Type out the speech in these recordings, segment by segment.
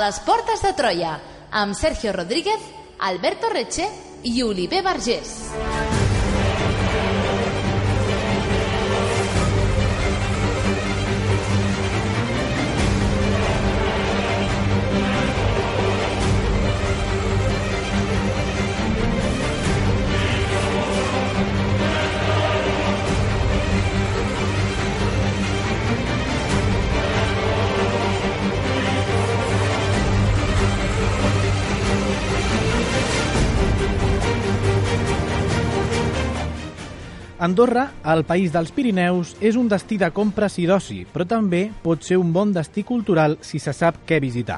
les portes de Troia, amb Sergio Rodríguez, Alberto Reche i Oliver Vergés. Andorra, el país dels Pirineus, és un destí de compres i d'oci, però també pot ser un bon destí cultural si se sap què visitar.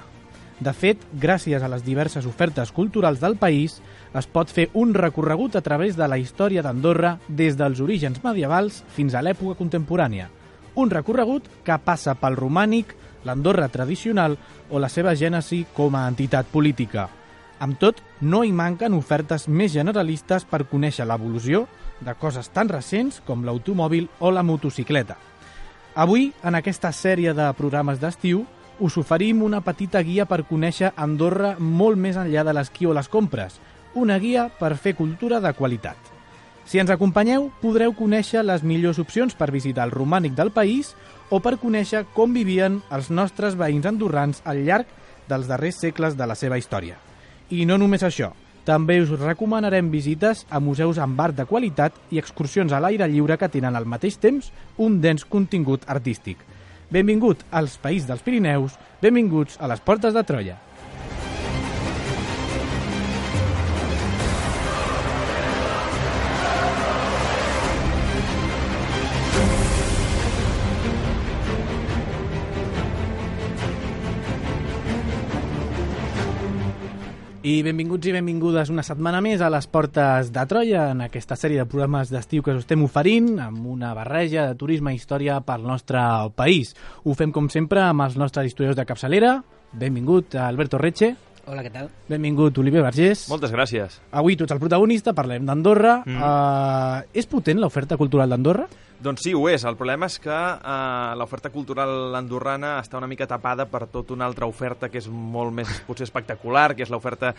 De fet, gràcies a les diverses ofertes culturals del país, es pot fer un recorregut a través de la història d'Andorra des dels orígens medievals fins a l'època contemporània. Un recorregut que passa pel romànic, l'Andorra tradicional o la seva gènesi com a entitat política. Amb tot, no hi manquen ofertes més generalistes per conèixer l'evolució de coses tan recents com l'automòbil o la motocicleta. Avui, en aquesta sèrie de programes d'estiu, us oferim una petita guia per conèixer Andorra molt més enllà de l'esquí o les compres, una guia per fer cultura de qualitat. Si ens acompanyeu, podreu conèixer les millors opcions per visitar el romànic del país o per conèixer com vivien els nostres veïns andorrans al llarg dels darrers segles de la seva història. I no només això, també us recomanarem visites a museus amb art de qualitat i excursions a l'aire lliure que tenen al mateix temps un dens contingut artístic. Benvingut als País dels Pirineus, benvinguts a les Portes de Troia. I benvinguts i benvingudes una setmana més a les Portes de Troia, en aquesta sèrie de programes d'estiu que us estem oferint, amb una barreja de turisme i història pel nostre país. Ho fem, com sempre, amb els nostres historiadors de capçalera. Benvingut, Alberto Reche. Hola, què tal? Benvingut, Oliver Vergés. Moltes gràcies. Avui tu ets el protagonista, parlem d'Andorra. És potent l'oferta cultural d'Andorra? Doncs sí, ho és. El problema és que l'oferta cultural andorrana està una mica tapada per tota una altra oferta que és molt més potser espectacular, que és l'oferta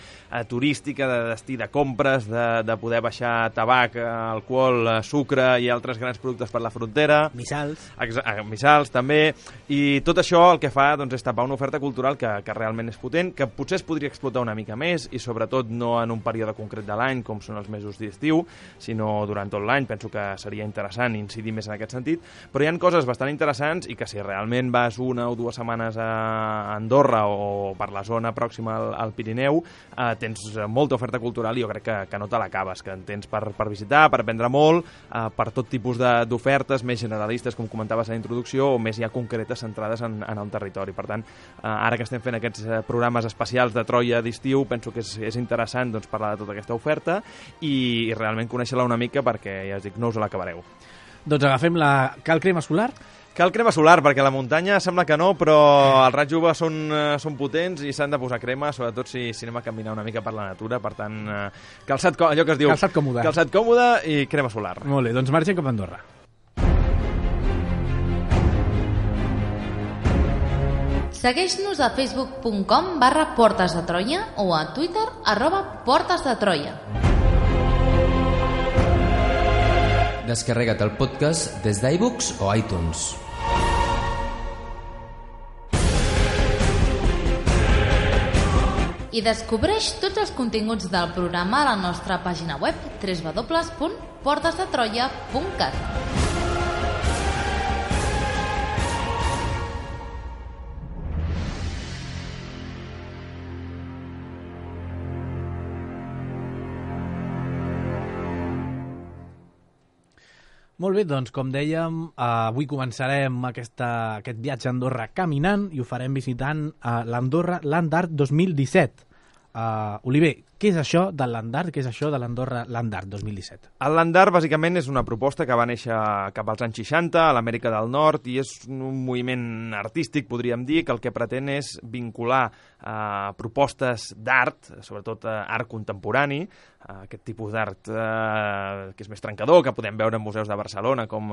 turística, de destí de compres, de poder baixar tabac, alcohol, sucre i altres grans productes per la frontera. Missals. Missals, també. I tot això el que fa doncs, és tapar una oferta cultural que realment és potent, que potser es podria explotar una mica més i sobretot no en un període concret de l'any, com són els mesos d'estiu, sinó durant tot l'any. Penso que seria interessant incidir més en aquest sentit, però hi ha coses bastant interessants i que si realment vas una o dues setmanes a Andorra o per la zona pròxima al Pirineu, tens molta oferta cultural i jo crec que no te l'acabes, que en tens per visitar, per aprendre molt, per tot tipus d'ofertes, més generalistes, com comentaves a la introducció, o més ja concretes, centrades en el territori. Per tant, ara que estem fent aquests programes especials de Troia d'estiu, penso que és interessant doncs, parlar de tota aquesta oferta i realment conèixer-la una mica perquè, ja us dic, no us l'acabareu. Doncs agafem cal crema solar? Cal crema solar, perquè la muntanya sembla que no, però els raigs UV són potents i s'han de posar crema, sobretot si anem a caminar una mica per la natura. Per tant, allò que es diu... Calçat còmode. Calçat còmode i crema solar. Molt bé, doncs marxem cap a Andorra. Segueix-nos a facebook.com/Portes de Troia o a Twitter @PortesDeTroia. Descarrega't el podcast des d'iBooks o iTunes. I descobreix tots els continguts del programa a la nostra pàgina web www.portesdetroia.cat. Molt bé, doncs com dèiem, avui començarem aquest viatge a Andorra caminant i ho farem visitant l'Andorra Land Art 2017. Oliver, Què és això de l'Andart? Què és això de l'Andorra Landart 2017? El Landart, bàsicament, és una proposta que va néixer cap als anys 60 a l'Amèrica del Nord i és un moviment artístic, podríem dir, que el que pretén és vincular propostes d'art, sobretot art contemporani, aquest tipus d'art que és més trencador, que podem veure en museus de Barcelona com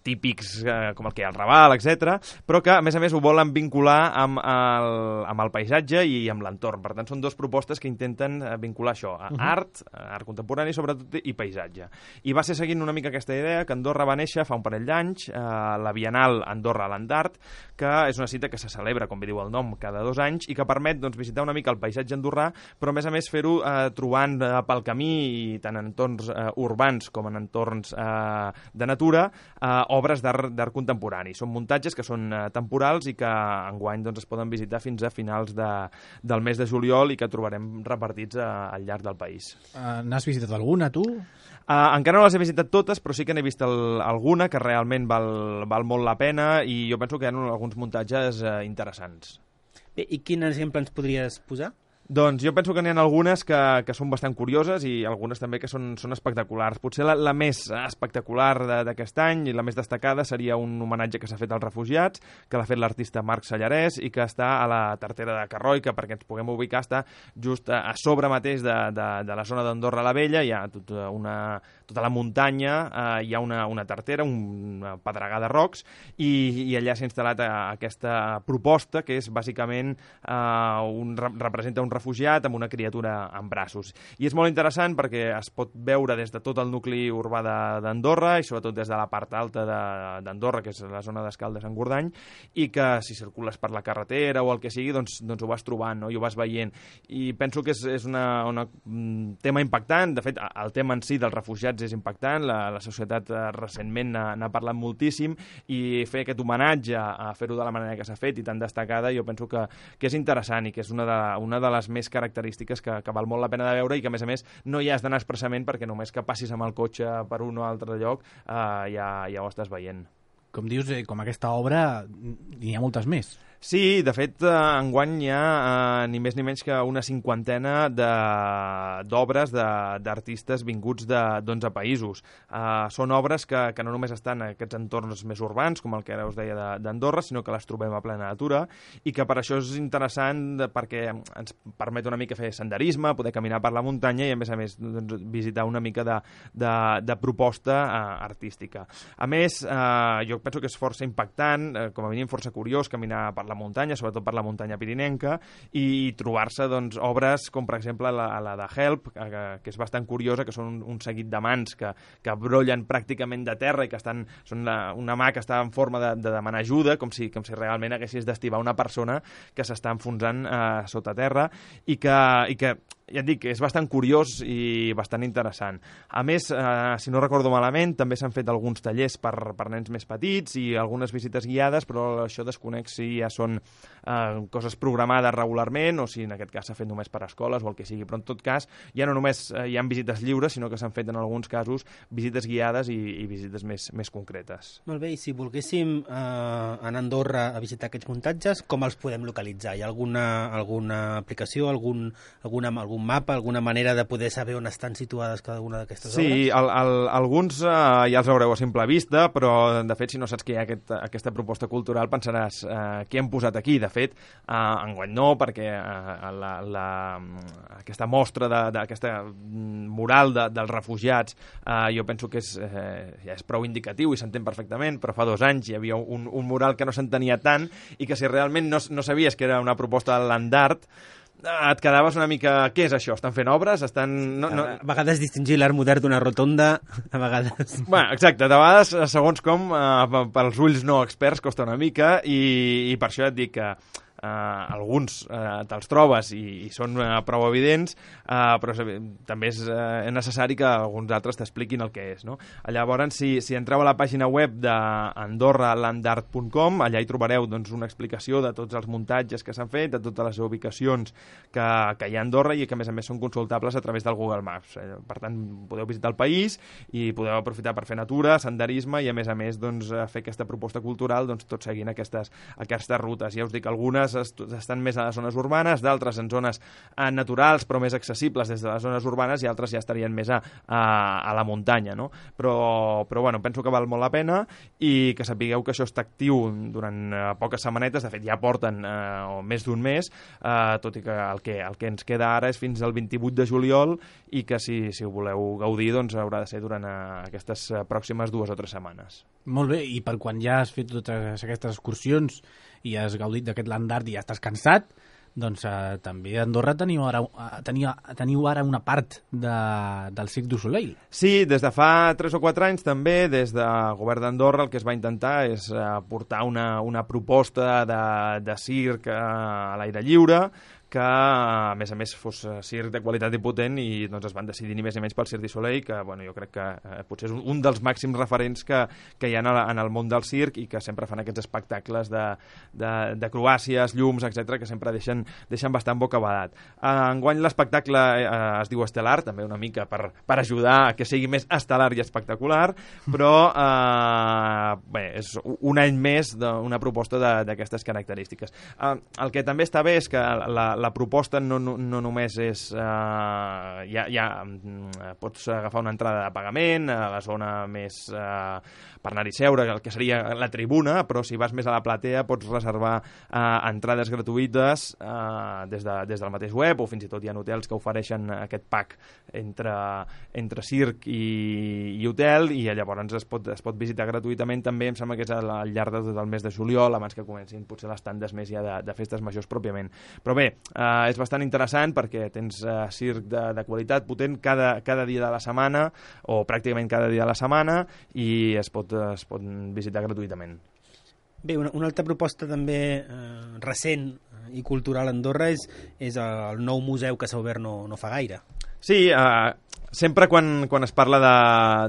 típics com el que hi ha al Raval, etc, però que, a més, ho volen vincular amb el paisatge i amb l'entorn. Per tant, són dues propostes que intenten vincular això, art contemporani, sobretot, i paisatge. I va ser seguint una mica aquesta idea que Andorra va néixer fa un parell d'anys, la Bienal Andorra Landart, que és una cita que se celebra, com bé diu el nom, cada 2 anys i que permet visitar una mica el paisatge andorrà, però a més fer-ho trobant pel camí, i tant en entorns urbans com en entorns de natura, obres d'art contemporani. Són muntatges que són temporals i que enguany es poden visitar fins a finals del mes de juliol i que trobarem repartits al llarg del país. N'has visitat alguna, tu? Encara no les he visitat totes, però sí que n'he vist alguna que realment val molt la pena i jo penso que hi ha alguns muntatges interessants. Bé, i quin exemple ens podries posar? Doncs jo penso que n'hi ha algunes que són bastant curioses i algunes també que són espectaculars. Potser la més espectacular d'aquest any i la més destacada seria un homenatge que s'ha fet als refugiats, que l'ha fet l'artista Marc Sallarès i que està a la Tartera de Carroi, que perquè ens puguem ubicar està just a sobre mateix de la zona d'Andorra la Vella. Hi ha tota la muntanya, hi ha una tartera, una pedregada de rocs i allà s'ha instal·lat aquesta proposta que és bàsicament representa un refugiat amb una criatura en braços. I és molt interessant perquè es pot veure des de tot el nucli urbà d'Andorra i sobretot des de la part alta d'Andorra, que és la zona d'Escaldes-Engordany, i que si circules per la carretera o el que sigui, doncs ho vas trobant, no? I ho vas veient. I penso que és un tema impactant. De fet, el tema en si dels refugiats és impactant. La societat recentment n'ha parlat moltíssim i fer aquest homenatge a fer-ho de la manera que s'ha fet i tan destacada, jo penso que és interessant i que és una de les més característiques que val molt la pena de veure i que, a més, no hi has d'anar expressament perquè només que passis amb el cotxe per un o altre lloc ja ho estàs veient. Com dius, com aquesta obra, n'hi ha moltes més. Sí, de fet, enguany hi ha ni més ni menys que una 50ena d'obres d'artistes vinguts d'11 països. Són obres que no només estan en aquests entorns més urbans, com el que ara us deia d'Andorra, sinó que les trobem a plena natura i que per això és interessant perquè ens permet una mica fer senderisme, poder caminar per la muntanya i, a més, visitar una mica de proposta artística. A més, jo penso que és força impactant, com a mínim força curiós, caminar per la muntanya, sobretot per la muntanya pirinenca, i trobar-se obres com, per exemple, la de Help, que és bastant curiosa, que són un seguit de mans que brollen pràcticament de terra i que són una mà que està en forma de demanar ajuda, com si realment haguessis d'estibar una persona que s'està enfonsant sota terra i que ja et dic, és bastant curiós i bastant interessant. A més, si no recordo malament, també s'han fet alguns tallers per nens més petits i algunes visites guiades, però això desconec si ja són coses programades regularment o si en aquest cas s'ha fet només per escoles o el que sigui. Però en tot cas, ja no només hi ha visites lliures, sinó que s'han fet en alguns casos visites guiades i visites més concretes. Molt bé, i si volguéssim anar a Andorra a visitar aquests muntatges, com els podem localitzar? Hi ha alguna aplicació, algun mapa, alguna manera de poder saber on estan situades cada una d'aquestes obres? Sí, alguns ja els veureu a simple vista, però de fet si no saps que hi ha aquesta proposta cultural pensaràs què hem posat aquí. De fet, enguany no, perquè aquesta mostra d'aquesta mural dels refugiats jo penso que ja és prou indicatiu i s'entén perfectament, però fa 2 anys hi havia un mural que no s'entenia tant i que si realment no sabies que era una proposta de l'Andart, et quedaves una mica... Què és això? Estan fent obres? A vegades distingir l'art modern d'una rotonda, a vegades... Bueno, exacte, de vegades, segons com, pels ulls no experts costa una mica i per això et dic que alguns te'ls trobes i són prou evidents, però també és necessari que alguns altres t'expliquin el que és, no? Llavors, si entreu a la pàgina web d'andorralandart.com, allà hi trobareu una explicació de tots els muntatges que s'han fet, de totes les ubicacions que hi ha a Andorra i que, a més, són consultables a través del Google Maps. Per tant, podeu visitar el país i podeu aprofitar per fer natura, senderisme i, a més, fer aquesta proposta cultural tot seguint aquestes rutes. Ja us dic, algunes algunes estan més a les zones urbanes, d'altres en zones naturals però més accessibles des de les zones urbanes, i altres ja estarien més a la muntanya, no? Però bueno, penso que val molt la pena, i que sapigueu que això està actiu durant poques setmanetes. De fet ja porten més d'un mes, tot i que el que ens queda ara és fins al 28 de juliol, i que si ho voleu gaudir doncs haurà de ser durant aquestes pròximes 2 o 3 setmanes. Molt bé, i per quan ja has fet totes aquestes excursions i has gaudit d'aquest land art i ja estàs cansat, doncs també a Andorra teniu ara una part del Cirque du Soleil. Sí, des de fa 3 o 4 anys també, des del govern d'Andorra, el que es va intentar és portar una proposta de circ a l'aire lliure, que a més fos circ de qualitat i potent, i doncs es van decidir ni més ni menys pel Cirque du Soleil, que bueno, jo crec que potser és un dels màxims referents que hi ha en el món del circ, i que sempre fan aquests espectacles d'acrobàcies, llums, etc, que sempre deixen bastant bocabadat. Enguany l'espectacle es diu Estel·lar, també una mica per ajudar a que sigui més estel·lar i espectacular, però bé, és un any més d'una proposta d'aquestes característiques. El que també està bé és que la proposta no només és... pots agafar una entrada de pagament a la zona més per anar-hi seure, el que seria la tribuna, però si vas més a la platea pots reservar entrades gratuïtes des del mateix web, o fins i tot hi ha hotels que ofereixen aquest pack entre circ i hotel, i llavors es pot visitar gratuïtament també. Em sembla que és al llarg de tot el mes de juliol, abans que comencin potser les tandes més ja de festes majors pròpiament. Però bé, és bastant interessant perquè tens circ de qualitat potent cada dia de la setmana, o pràcticament cada dia de la setmana, i es pot visitar gratuïtament. Bé, una altra proposta també recent i cultural a Andorra és el nou museu que s'ha obert no fa gaire. Sí, sempre quan es parla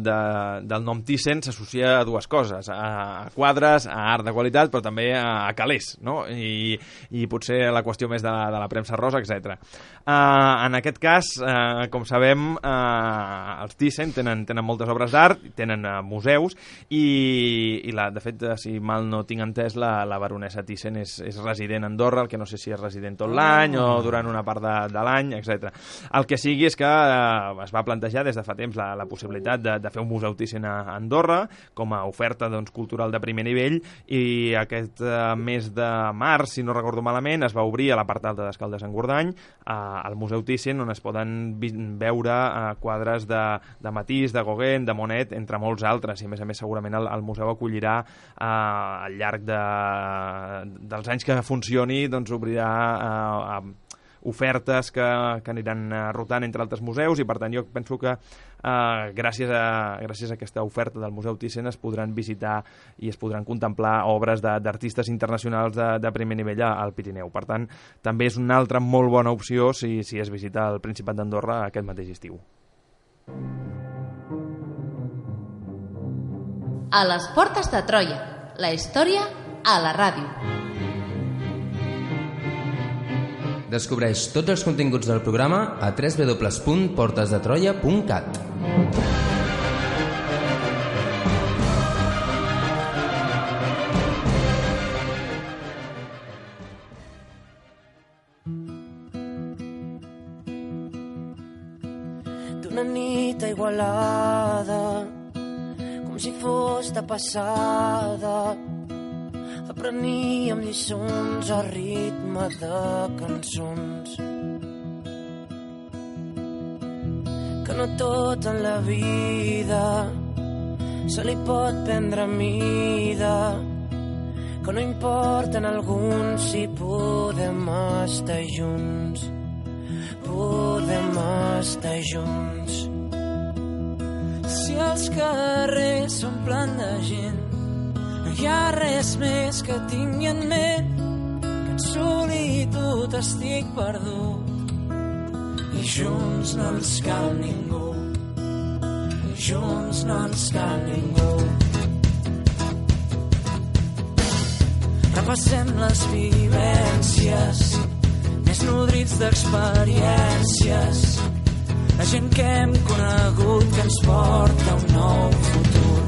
del nom Thyssen s'associa a dues coses, a quadres, a art de qualitat, però també a calés, no? I potser la qüestió més de la premsa rosa, etc. En aquest cas, com sabem, els Thyssen tenen moltes obres d'art, tenen museus, i de fet, si mal no tinc entès, la baronessa Thyssen és resident a Andorra, el que no sé si és resident tot l'any o durant una part de l'any, etc. El que sigui és que es va plantejar des de fa temps la possibilitat de fer un museu Thyssen a Andorra com a oferta cultural de primer nivell, i aquest mes de març, si no recordo malament, es va obrir a la part alta d'Escaldes-Engordany al museu Thyssen, on es poden veure quadres de Matisse, de Gauguin, de Monet, entre molts altres, i a més segurament el museu acollirà al llarg dels anys que funcioni, doncs obrirà ofertes que aniran rotant entre altres museus, i per tant jo penso que gràcies a aquesta oferta del Museu Thyssen es podran visitar i es podran contemplar obres d'artistes internacionals de primer nivell al Pirineu. Per tant, també és una altra molt bona opció si es visita el Principat d'Andorra aquest mateix estiu. A les portes de Troia, la història a la ràdio. Descobreix tots els continguts del programa a www.portesdetroia.cat. D'una nit a Igualada, com si fos de passada, apreníem lliçons a ritme de cançons. Que no tot en la vida se li pot prendre mida, que no importa en alguns si podem estar junts, podem estar junts. Si els carrers s'omplen de gent, no hi ha res més que tingui en ment, que en solitud estic perdut, i junts no ens cal ningú, i junts no ens cal ningú. Repassem les vivències, més nodrits d'experiències, la gent que hem conegut que ens porta un nou futur.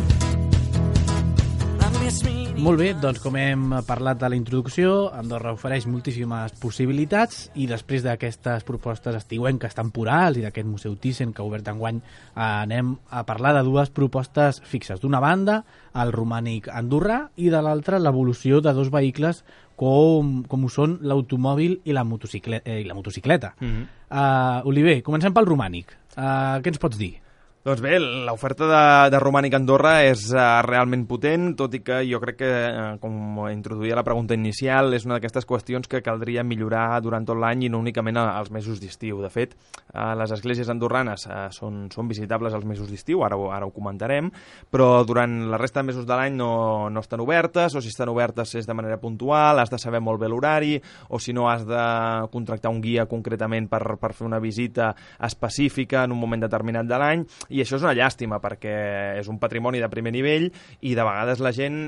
La més mínima Molt bé, doncs com hem parlat a la introducció, Andorra ofereix moltíssimes possibilitats i després d'aquestes propostes estiuenques temporals i d'aquest Museu Thyssen que ha obert enguany, anem a parlar de dues propostes fixes. D'una banda, el romànic andorrà i de l'altra, l'evolució de dos vehicles com ho són l'automòbil i la motocicleta. Oliver, comencem pel romànic. Què ens pots dir? Doncs bé, l'oferta de romànic a Andorra és realment potent, tot i que jo crec que, com introduïa la pregunta inicial, és una d'aquestes qüestions que caldria millorar durant tot l'any i no únicament als mesos d'estiu. De fet, les esglésies andorranes són visitables als mesos d'estiu, ara ho comentarem, però durant la resta de mesos de l'any no estan obertes, o si estan obertes és de manera puntual, has de saber molt bé l'horari, o si no has de contractar un guia concretament per fer una visita específica en un moment determinat de l'any. I això és una llàstima perquè és un patrimoni de primer nivell i de vegades la gent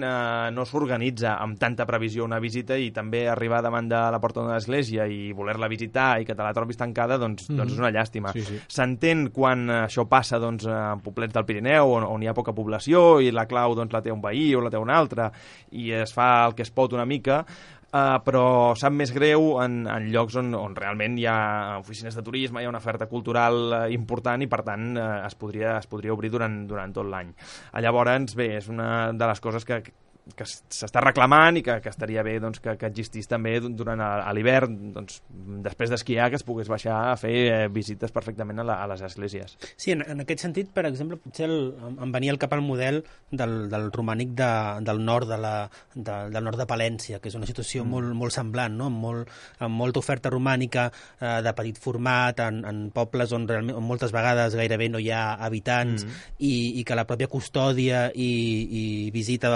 no s'organitza amb tanta previsió una visita i també arribar davant de la porta d'una església i voler-la visitar i que te la trobis tancada, doncs és una llàstima. Sí. S'entén quan això passa en poblets del Pirineu on hi ha poca població i la clau la té un veí o la té un altre i es fa el que es pot una mica, però sap més greu en llocs on realment hi ha oficines de turisme, hi ha una oferta cultural important i per tant es podria obrir durant tot l'any. Llavors, bé, és una de les coses que s'està reclamant i que estaria bé que existís també durant l'hivern, després d'esquiar, que es pogués baixar a fer visites perfectament a les esglésies. Sí, en aquest sentit, per exemple, potser em venia al cap el model del romànic del nord del nord de Palència, que és una situació molt semblant, no? amb molta oferta romànica de petit format, en pobles on moltes vegades gairebé no hi ha habitants i que la pròpia custòdia i visita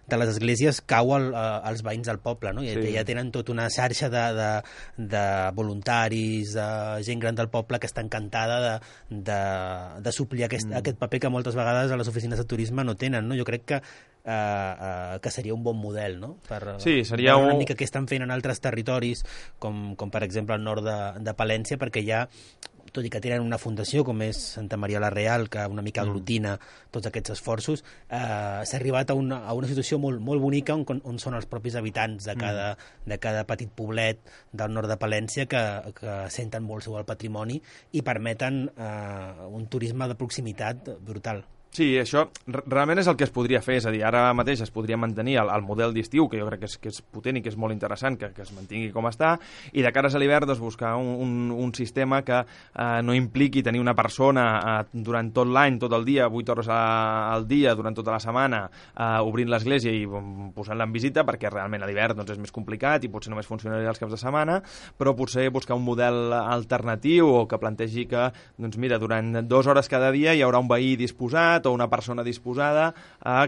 de les esglésies cau als veïns del poble, no? I ja tenen tota una xarxa de voluntaris, de gent gran del poble que està encantada de suplir aquest paper que moltes vegades a les oficines de turisme no tenen, no? Jo crec que seria un bon model, no? Sí, seria una mica que estan fent en altres territoris, com per exemple el nord de Palència, perquè ja tot i que tenen una fundació com és Santa Maria la Real, que una mica aglutina tots aquests esforços, s'ha arribat a una situació molt bonica on són els propis habitants de cada petit poblet del nord de Palència que senten molt seu el patrimoni i permeten un turisme de proximitat brutal. Sí, això realment és el que es podria fer, és a dir, ara mateix es podria mantenir el model d'estiu, que jo crec que és potent i que és molt interessant, que es mantingui com està, i de cares a l'hivern buscar un sistema que no impliqui tenir una persona durant tot l'any, tot el dia, 8 hores al dia, durant tota la setmana, obrint l'església i posant-la en visita, perquè realment a l'hivern és més complicat i potser només funcionaria els caps de setmana, però potser buscar un model alternatiu o que plantegi que, mira, durant 2 hores cada dia hi haurà un veí disposat o una persona disposada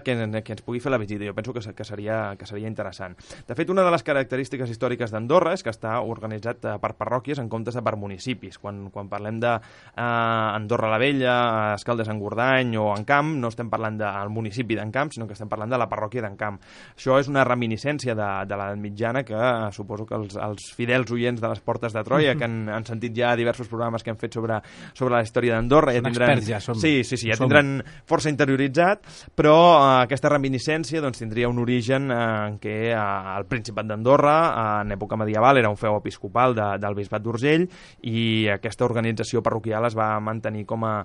que ens pugui fer la visita. Jo penso que seria interessant. De fet, una de les característiques històriques d'Andorra és que està organitzat per parròquies en comptes de per municipis. Quan parlem d'Andorra la Vella, Escaldes-Engordany o Encamp, no estem parlant del municipi d'Encamp, sinó que estem parlant de la parròquia d'Encamp. Això és una reminiscència de l'edat mitjana que suposo que els fidels oients de les Portes de Troia, que han sentit ja diversos programes que hem fet sobre la història d'Andorra, ja tindran... Ja som. Sí, ja tindran força interioritzat, però aquesta reminiscència tindria un origen en què el Principat d'Andorra, en època medieval, era un feu episcopal del Bisbat d'Urgell i aquesta organització parroquial es va mantenir com a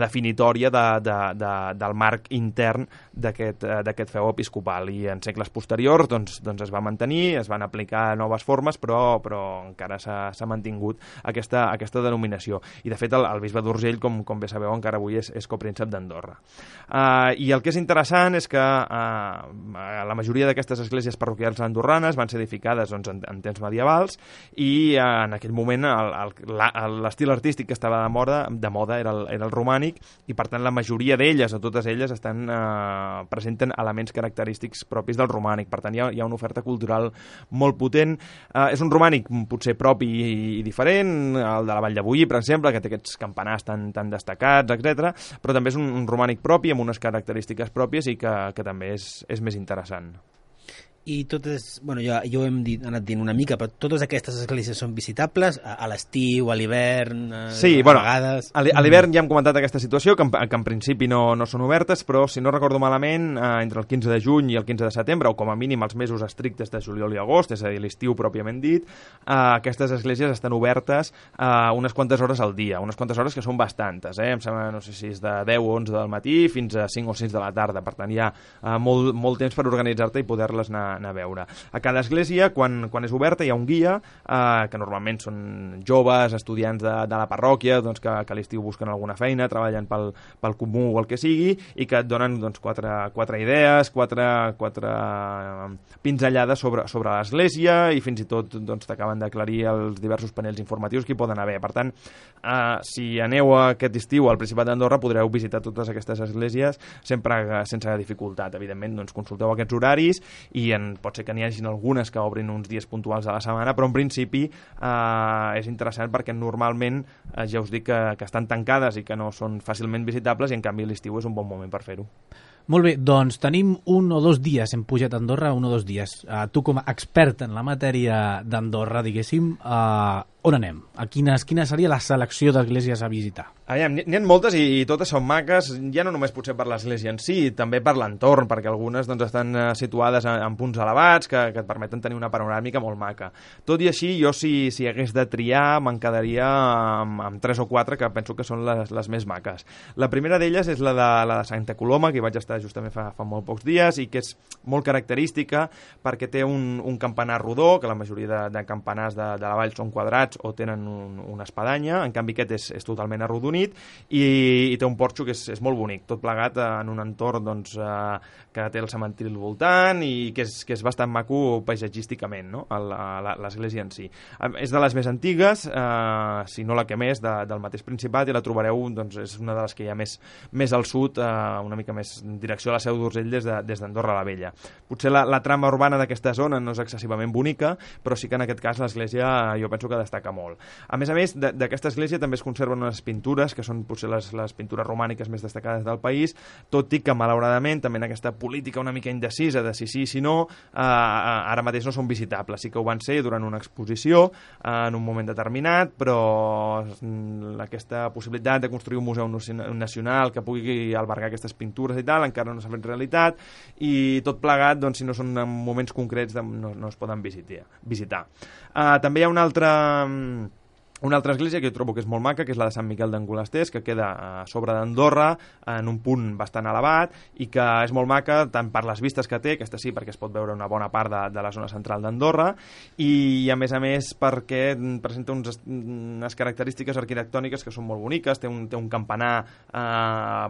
definitòria del marc intern d'aquest feu episcopal i en segles posteriors es va mantenir, es van aplicar noves formes, però encara s'ha mantingut aquesta denominació. I de fet el Bisbat d'Urgell, com bé sabeu, encara avui és copríncep d'Andorra. I el que és interessant és que la majoria d'aquestes esglésies parroquials andorranes van ser edificades en temps medievals i en aquell moment l'estil artístic que estava de moda era el romànic i per tant la majoria d'elles, o totes elles, presenten elements característics propis del romànic. Per tant hi ha una oferta cultural molt potent. És un romànic potser propi i diferent, el de la Vall de Boí, per exemple, que té aquests campanars tan destacats, etc. Però també és un romànic propi, amb unes característiques pròpies i que també és més interessant. I totes, bueno, jo hem anat dient una mica, però totes aquestes esglésies són visitables a l'estiu, a l'hivern, sí, a vegades... A l'hivern ja hem comentat aquesta situació, que en principi no són obertes, però si no recordo malament, entre el 15 de juny i el 15 de setembre, o com a mínim els mesos estrictes de juliol i agost, és a dir, l'estiu pròpiament dit, aquestes esglésies estan obertes unes quantes hores al dia, unes quantes hores que són bastantes, em sembla, no sé si és de 10 o 11 del matí fins a 5 o 6 de la tarda, per tant hi ha molt temps per organitzar-te i poder-les anar a veure. A cada església, quan és oberta, hi ha un guia, que normalment són joves, estudiants de la parròquia, doncs, que a l'estiu busquen alguna feina, treballen pel comú o el que sigui, i que et donen doncs, quatre idees, quatre pinzellades sobre l'església, i fins i tot doncs, t'acaben d'aclarir els diversos panells informatius que hi poden haver. Per tant, si aneu aquest estiu al Principat d'Andorra, podreu visitar totes aquestes esglésies sempre sense dificultat. Evidentment, doncs, consulteu aquests horaris i pot ser que n'hi hagin algunes que obrin uns dies puntuals a la setmana, però en principi és interessant perquè normalment ja us dic que estan tancades i que no són fàcilment visitables, i en canvi l'estiu és un bon moment per fer-ho. Molt bé, doncs tenim 1 o 2 dies, hem pujat a Andorra 1 o 2 dies. Tu com a expert en la matèria d'Andorra, diguéssim, on anem? Quina seria la selecció d'esglésies a visitar? N'hi ha moltes i totes són maques, ja no només potser per l'església en si, també per l'entorn, perquè algunes doncs, estan situades en punts elevats que et permeten tenir una panoràmica molt maca. Tot i així, jo si hagués de triar, me'n quedaria amb 3 o 4 que penso que són les més maques. La primera d'elles és la de Santa Coloma, que hi vaig estar justament fa molt pocs dies, i que és molt característica perquè té un campanar rodó, que la majoria de campanars de la vall són quadrats o tenen una espadanya, en canvi aquest és totalment arrodonit, i té un porxo que és molt bonic, tot plegat en un entorn doncs, que té el cementiri al voltant i que és bastant maco paisatgísticament, no? L'església en si. És de les més antigues, si no la que més, del mateix Principat, i la trobareu, doncs, és una de les que hi ha més al sud, una mica més en direcció a la Seu d'Urgell des d'Andorra la Vella. Potser la trama urbana d'aquesta zona no és excessivament bonica, però sí que en aquest cas l'església jo penso que destaca molt. A més, d'aquesta església també es conserven unes pintures que són potser les pintures romàniques més destacades del país, tot i que malauradament també en aquesta política una mica indecisa de si sí, si no, ara mateix no són visitables. Sí que ho van ser durant una exposició en un moment determinat, però aquesta possibilitat de construir un museu nacional que pugui albergar aquestes pintures i tal encara no s'ha fet realitat, i tot plegat, doncs, si no són en moments concrets no es poden visitar. També hi ha una altra església que jo trobo que és molt maca, que és la de Sant Miquel d'Angolasters, que queda a sobre d'Andorra, en un punt bastant elevat, i que és molt maca tant per les vistes que té, aquesta sí, perquè es pot veure una bona part de la zona central d'Andorra, i a més perquè presenta unes característiques arquitectòniques que són molt boniques, té un campanar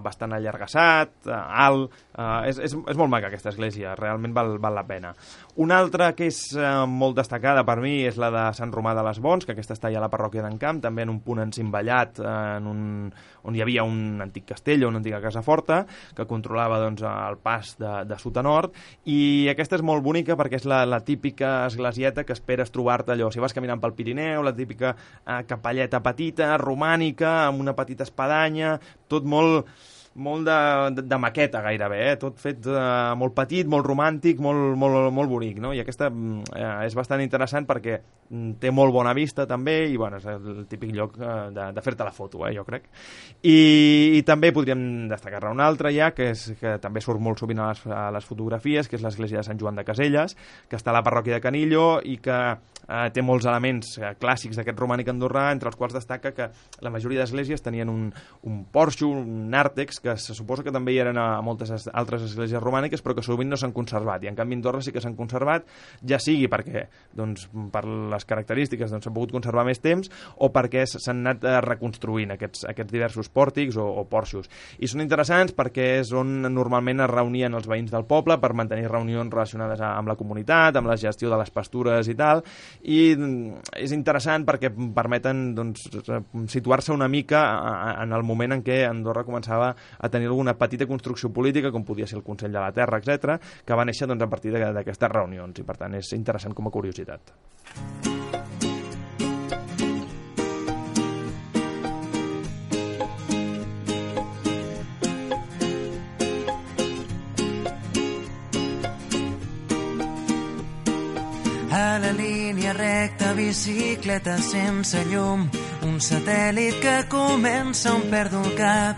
bastant allargassat, alt, és molt maca aquesta església, realment val la pena. Una altra que és molt destacada per mi és la de Sant Romà de les Bons, que aquesta està ja a la parròquia d'en Camp, també en un punt encimballat on hi havia un antic castell o una antiga casa forta que controlava doncs, el pas de sud a nord, i aquesta és molt bonica perquè és la típica esglesieta que esperes trobar-te allò, si vas caminant pel Pirineu, la típica capelleta petita, romànica, amb una petita espadanya, tot molt de maqueta gairebé, tot fet molt petit, molt romàntic, molt bonic, no? I aquesta és bastant interessant perquè té molt bona vista també, i bueno, és el típic lloc de fer-te la foto, jo crec. I també podríem destacar-ne una altra ja, que també surt molt sovint a les fotografies, que és l'església de Sant Joan de Caselles, que està a la parròquia de Canillo i que té molts elements clàssics d'aquest romànic andorrà, entre els quals destaca que la majoria d'esglésies tenien un porxo, un nàrtex, que se suposa que també hi eren a moltes altres esglésies romàniques, però que sovint no s'han conservat, i en canvi a Andorra sí que s'han conservat, ja sigui perquè doncs, per les característiques doncs, s'han pogut conservar més temps, o perquè s'han anat reconstruint aquests diversos pòrtics o porxos. I són interessants perquè és on normalment es reunien els veïns del poble per mantenir reunions relacionades amb la comunitat, amb la gestió de les pastures i tal, i és interessant perquè permeten doncs, situar-se una mica en el moment en què Andorra començava a tenir alguna petita construcció política, com podia ser el Consell de la Terra, etc., que va néixer doncs, a partir d'aquestes reunions, i per tant és interessant com a curiositat. una bicicleta sense llum, un satèl·lit que comença on perdo el cap.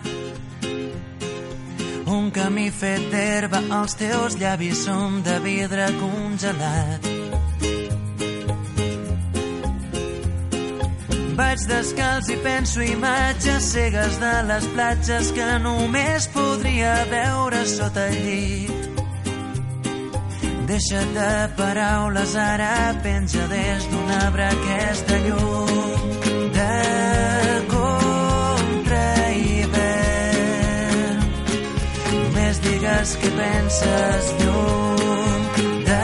Un camí fet d'herba, els teus llavis són de vidre congelat. Vaig descalç i penso imatges cegues de les platges que només podria veure sota el llit. Deixa't de paraules, ara penja des d'un arbre aquesta llum de contrahivern. Només digues què penses, llum de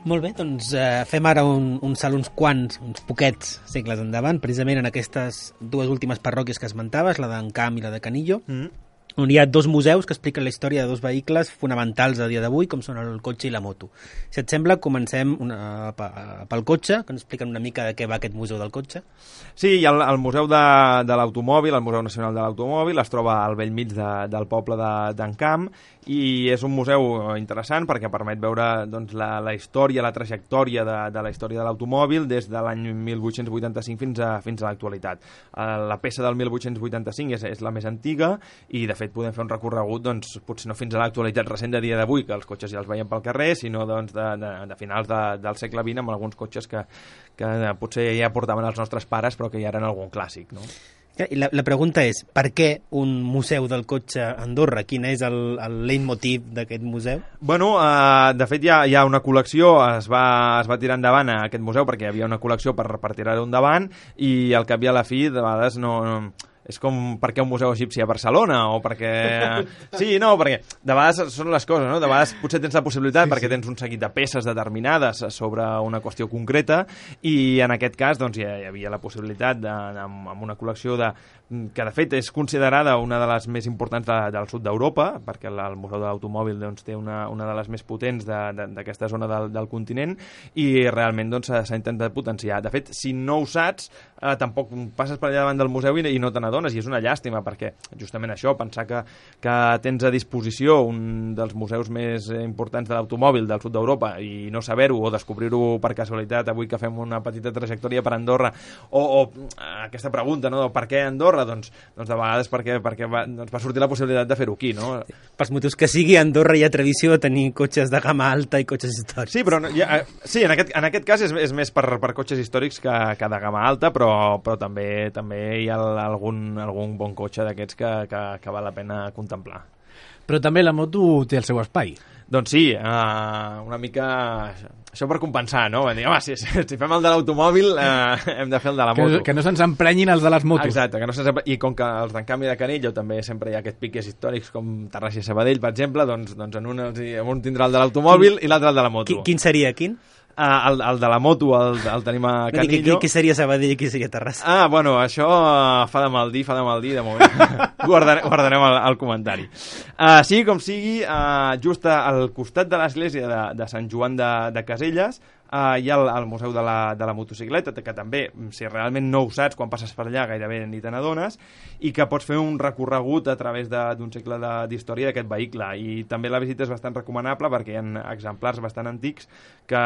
Molt bé, doncs fem ara un salt uns poquets segles endavant, precisament en aquestes dues últimes parròquies que esmentaves, la d'Encamp i la de Canillo, on hi ha dos museus que expliquen la història de dos vehicles fonamentals a dia d'avui, com són el cotxe i la moto. Si et sembla, comencem pel cotxe, que ens expliquen una mica de què va aquest museu del cotxe. Sí, hi ha el Museu de l'Automòbil, el Museu Nacional de l'Automòbil, es troba al bell mig del poble d'Encamp, i és un museu interessant perquè permet veure doncs, la història, la trajectòria de la història de l'automòbil des de l'any 1885 fins a l'actualitat. La peça del 1885 és la més antiga i de fet podem fer un recorregut doncs, potser no fins a l'actualitat recent de dia d'avui, que els cotxes ja els veiem pel carrer, sinó doncs, de finals del segle XX amb alguns cotxes que potser ja portaven els nostres pares però que ja eren algun clàssic, no? I la pregunta és, per què un museu del cotxe a Andorra? Quin és el leitmotiv d'aquest museu? Bueno, de fet hi ha una col·lecció, es va tirar endavant a aquest museu perquè hi havia una col·lecció per tirar-ho endavant i al cap i a la fi de vegades no és com per què un museu egipci a Barcelona o perquè... Sí, no, perquè de vegades són les coses, no? De vegades potser tens la possibilitat perquè tens un seguit de peces determinades sobre una qüestió concreta i en aquest cas doncs, hi havia la possibilitat amb una col·lecció que de fet és considerada una de les més importants del sud d'Europa, perquè el Museu de l'Automòbil doncs, té una de les més potents d'aquesta zona del continent i realment doncs, s'ha intentat potenciar. De fet, si no ho saps, tampoc passes per allà davant del museu i no te n'adones, i és una llàstima perquè justament això, pensar que tens a disposició un dels museus més importants de l'automòbil del sud d'Europa i no saber-ho o descobrir-ho per casualitat avui que fem una petita trajectòria per Andorra o aquesta pregunta, no? Per què Andorra? Doncs de vegades perquè va sortir la possibilitat de fer-ho aquí, no? Pels motius que sigui, a Andorra hi ha tradició de tenir cotxes de gamma alta i cotxes històrics. Sí, però sí, en aquest cas és més per cotxes històrics que de gamma alta, però també hi ha algun bon cotxe d'aquests que val la pena contemplar. Però també la moto té el seu espai. Doncs sí, una mica això per compensar, no? Dir, home, si fem el de l'automòbil hem de fer el de la moto. Que no se'ns emprenyin els de les motos. Exacte, i com que els d'Encamp i de Canillo també sempre hi ha aquests piques històrics com Terrassa i Sabadell, per exemple, doncs en un tindrà el de l'automòbil i l'altre el de la moto. Quin seria, quin? El de la moto el tenim a Canillo. Qui seria Sabadell i qui seria Terrassa? Bueno, això fa de mal dir, de moment. Guardarem el comentari. Sigui com sigui, just al costat de l'església de Sant Joan de Caselles hi ha el Museu de la Motocicleta, que també, si realment no ho saps, quan passes per allà gairebé ni te n'adones, i que pots fer un recorregut a través d'un segle d'història d'aquest vehicle. I també la visita és bastant recomanable perquè hi ha exemplars bastant antics que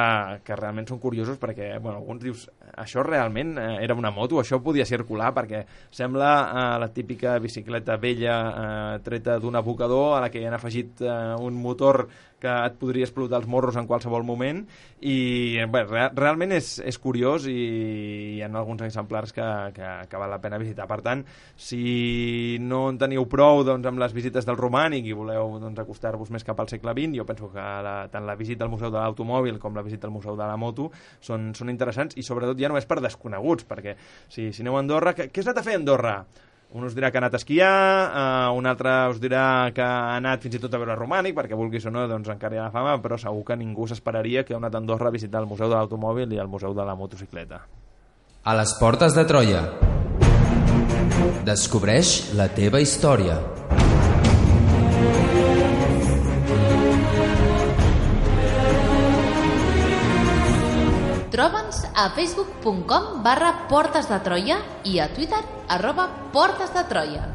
realment són curiosos perquè, bueno, alguns dius, això realment era una moto, això podia circular, perquè sembla la típica bicicleta vella treta d'un abocador a la que hi han afegit un motor que et podria explotar els morros en qualsevol moment i bé, realment és curiós i hi ha alguns exemplars que val la pena visitar. Per tant, si no en teniu prou doncs, amb les visites del romànic i voleu doncs, acostar-vos més cap al segle XX, jo penso que tant la visita al Museu de l'Automòbil com la visita al Museu de la Moto són interessants i sobretot ja no és per desconeguts, perquè si aneu a Andorra, què has anat a fer a Andorra? Un us dirà que ha anat a esquiar, un altre us dirà que ha anat fins i tot a veure romànic, perquè vulguis o no, doncs encara hi ha la fama, però segur que ningú s'esperaria que ha anat a Andorra a visitar el Museu de l'Automòbil i el Museu de la Motocicleta. A les portes de Troia. Descobreix la teva història. Troba'ns a facebook.com/portesdetroia i a Twitter @portesdetroia.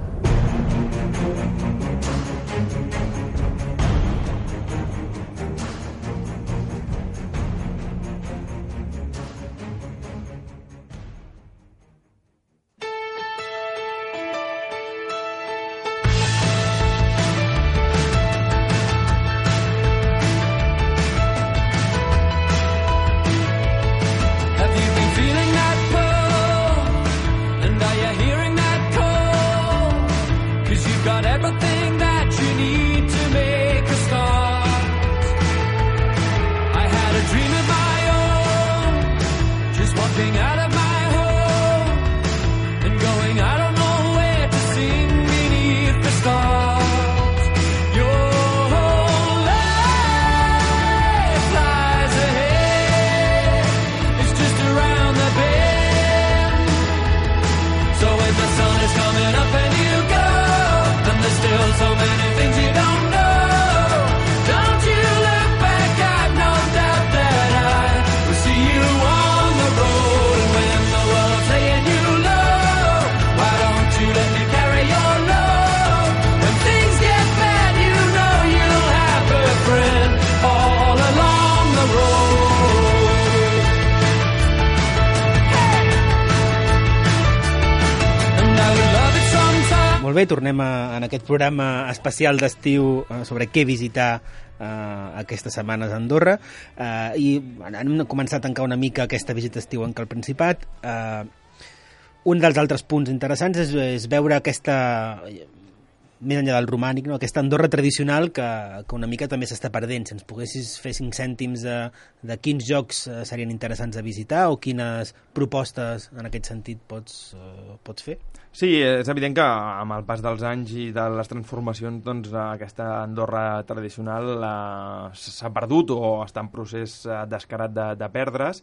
bé, tornem en aquest programa especial d'estiu sobre què visitar aquestes setmanes a Andorra, i hem començat a tancar una mica aquesta visita estiu en el Principat. Un dels altres punts interessants és veure aquesta, més enllà del romànic, no? Aquesta Andorra tradicional que una mica també s'està perdent. Si ens poguessis fer 5 cèntims de quins jocs serien interessants de visitar o quines propostes en aquest sentit pots fer? Sí, és evident que amb el pas dels anys i de les transformacions, doncs, aquesta Andorra tradicional s'ha perdut o està en procés descarat de perdre's,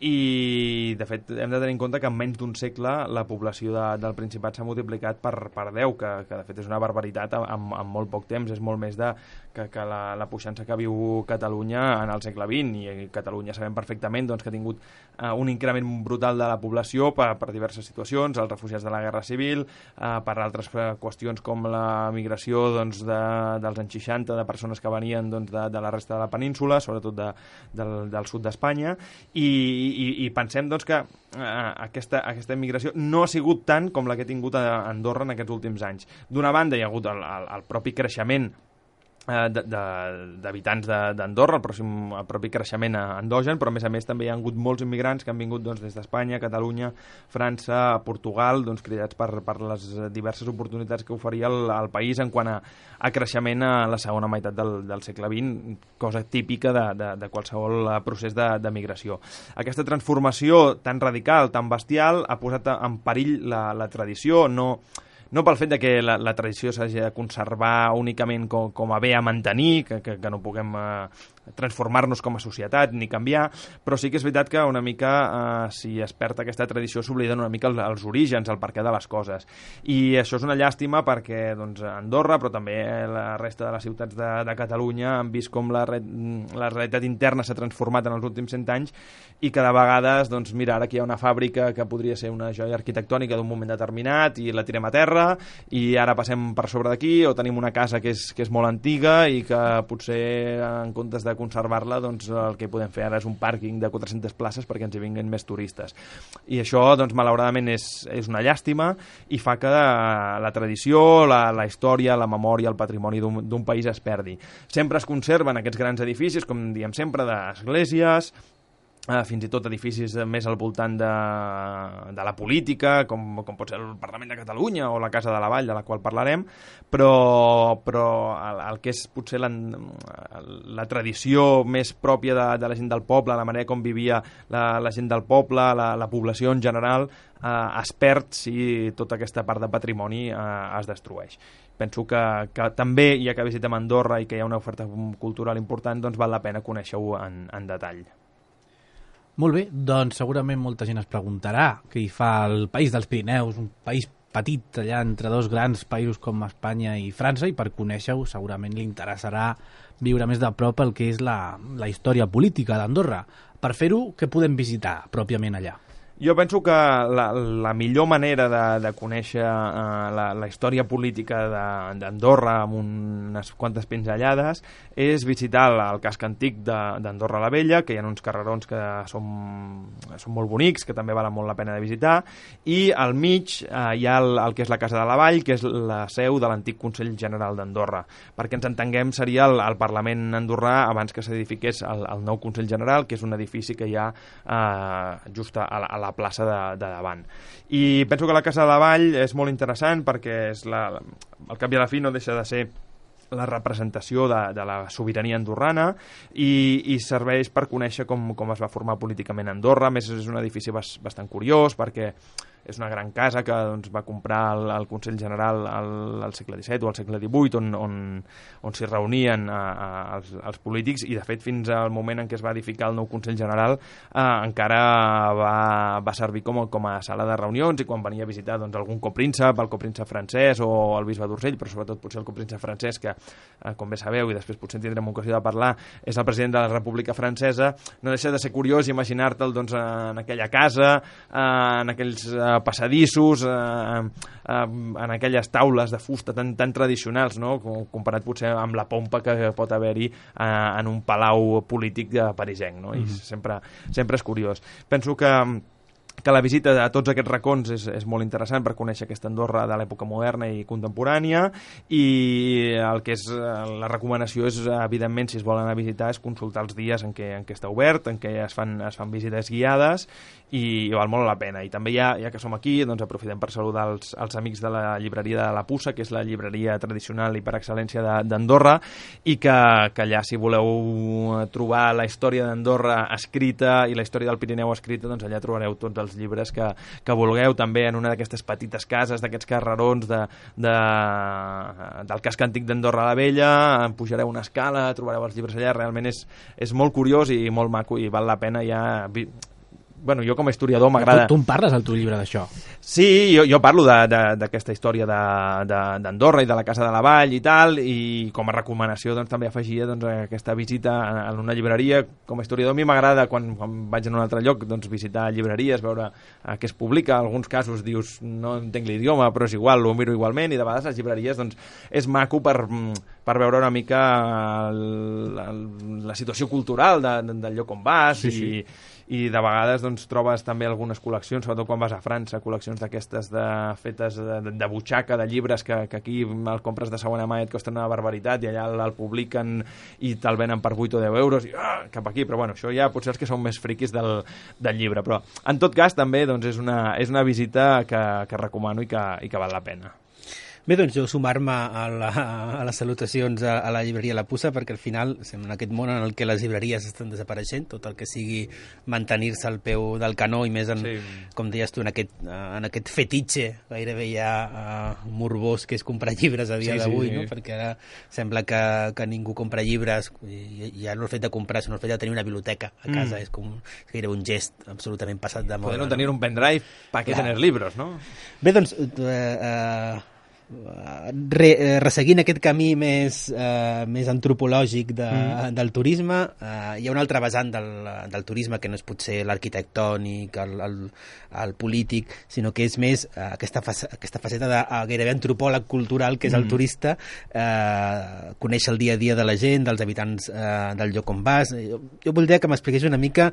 i de fet hem de tenir en compte que en menys d'un segle la població del Principat s'ha multiplicat per 10, que de fet és una barbaritat en molt poc temps. És molt més que la puixança que viu Catalunya en el segle XX, i Catalunya sabem perfectament doncs, que ha tingut un increment brutal de la població per diverses situacions, els refugiats de la Guerra Civil, per altres qüestions com la migració doncs, dels anys 60 de persones que venien doncs, de la resta de la península, sobretot del sud d'Espanya, i pensem doncs, que aquesta immigració no ha sigut tant com la que ha tingut a Andorra en aquests últims anys. D'una banda hi ha hagut el propi creixement d'habitants d'Andorra, el propi creixement endogen, però a més també hi ha hagut molts immigrants que han vingut doncs, des d'Espanya, Catalunya, França, Portugal, doncs, cridats per les diverses oportunitats que oferia el país en quant a creixement a la segona meitat del segle XX, cosa típica de qualsevol procés de migració. Aquesta transformació tan radical, tan bestial, ha posat en perill la tradició, no pel fet de que la tradició s'hagi de conservar únicament com a bé a mantenir, que no puguem transformar-nos com a societat ni canviar, però sí que és veritat que una mica si es perd aquesta tradició s'obliden una mica els orígens, el perquè de les coses, i això és una llàstima perquè doncs, Andorra, però també la resta de les ciutats de Catalunya han vist com la realitat interna s'ha transformat en els últims 100 anys, i cada vegada doncs, mira, ara aquí hi ha una fàbrica que podria ser una joia arquitectònica d'un moment determinat i la tirem a terra, i ara passem per sobre d'aquí, o tenim una casa que és molt antiga i que potser en comptes de conservar-la, doncs el que podem fer ara és un pàrquing de 400 places perquè ens hi vinguin més turistes. I això, doncs, malauradament és una llàstima i fa que la tradició, la història, la memòria, el patrimoni d'un país es perdi. Sempre es conserven aquests grans edificis, com diem sempre, d'esglésies, fins i tot edificis més al voltant de la política, com pot ser el Parlament de Catalunya o la Casa de la Vall, de la qual parlarem, però el que és potser la tradició més pròpia de la gent del poble, la manera com vivia la gent del poble, la població en general, es perd si tota aquesta part de patrimoni es destrueix. Penso que també, ja que visitem Andorra i que hi ha una oferta cultural important, doncs val la pena conèixer-ho en detall. Molt bé, doncs segurament molta gent es preguntarà què hi fa el país dels Pirineus, un país petit allà entre dos grans països com Espanya i França, i per conèixer-ho segurament li interessarà viure més de prop el que és la història política d'Andorra. Per fer-ho, què podem visitar pròpiament allà? Jo penso que la millor manera de conèixer la història política d'Andorra amb unes quantes pinzellades és visitar el casc antic d'Andorra la Vella, que hi ha uns carrerons que són molt bonics, que també valen molt la pena de visitar, i al mig hi ha el que és la Casa de la Vall, que és la seu de l'antic Consell General d'Andorra. Perquè ens entenguem, seria el Parlament andorrà abans que s'edifiqués el nou Consell General, que és un edifici que hi ha just a la plaça de davant. I penso que la Casa de la Vall és molt interessant perquè al cap i a la fi no deixa de ser la representació de la sobirania andorrana i serveix per conèixer com es va formar políticament Andorra. A més, és un edifici bastant curiós perquè és una gran casa que doncs, va comprar el Consell General al segle XVII o al segle XVIII, on s'hi reunien els polítics, i de fet fins al moment en què es va edificar el nou Consell General encara va servir com a sala de reunions, i quan venia a visitar doncs, algun copríncep, el copríncep francès o el bisbe d'Urgell, però sobretot potser el copríncep francès, que com bé sabeu, i després potser tindrem ocasió de parlar, és el president de la República Francesa, no deixa de ser curiós imaginar-te'l doncs, en aquella casa, en aquells passadissos, en aquelles taules de fusta tan tradicionals, no? Comparat potser amb la pompa que pot haver-hi en un palau polític parisenc, no? I sempre és curiós. Penso que que la visita a tots aquests racons és molt interessant per conèixer aquesta Andorra de l'època moderna i contemporània, i el que és la recomanació és, evidentment, si es volen anar a visitar, és consultar els dies en què està obert, en què es fan visites guiades, i val molt la pena. I també ja que som aquí, doncs aprofitem per saludar els amics de la llibreria de la Puça, que és la llibreria tradicional i per excel·lència d'Andorra, i que allà, si voleu trobar la història d'Andorra escrita i la història del Pirineu escrita, doncs allà trobareu tots els llibres que vulgueu, també en una d'aquestes petites cases, d'aquests carrerons del casc antic d'Andorra la Vella, pujareu una escala, trobareu els llibres allà, realment és molt curiós i molt maco, i val la pena ja... Bueno, jo com a historiador m'agrada... Tu en parles al teu llibre d'això? Sí, jo parlo d'aquesta història d'Andorra i de la Casa de la Vall i tal, i com a recomanació doncs, també afegia aquesta visita a una llibreria. Com a historiador a mi m'agrada, quan vaig en un altre lloc, doncs, visitar llibreries, veure què es publica. En alguns casos dius, no entenc l'idioma, però és igual, ho miro igualment, i de vegades les llibreries doncs, és maco per veure una mica la situació cultural del lloc on vas, i de vegades doncs, trobes també algunes col·leccions, sobretot quan vas a França, col·leccions d'aquestes fetes de butxaca, de llibres que aquí el compres de segona mà i et costen una barbaritat, i allà el publiquen i te'l venen per 8 o 10 euros, i cap aquí. Però bueno, això ja potser els que són més friquis del llibre. Però en tot cas també doncs, és una visita que recomano i que val la pena. Bé, doncs jo sumar-me a les salutacions a la llibreria La Puça, perquè al final estem en aquest món en el que les llibreries estan desapareixent, tot el que sigui mantenir-se al peu del canó, i més com deies tu, en aquest fetitxe gairebé ja morbós que és comprar llibres a dia d'avui, no? Perquè ara sembla que ningú compra llibres, i ja no el fet de comprar, sinó el fet de tenir una biblioteca a casa és gairebé un gest absolutament passat de moda. Poder no tenir un pendrive, ¿para qué tener libros, no? Bé, doncs resseguint aquest camí més antropològic del turisme, hi ha una altra vessant del turisme que no és potser l'arquitectònic, el polític, sinó que és més aquesta faceta de gairebé antropòleg cultural, que és el turista, conèixer el dia a dia de la gent, dels habitants del lloc on vas. Jo voldria que m'expliqués una mica,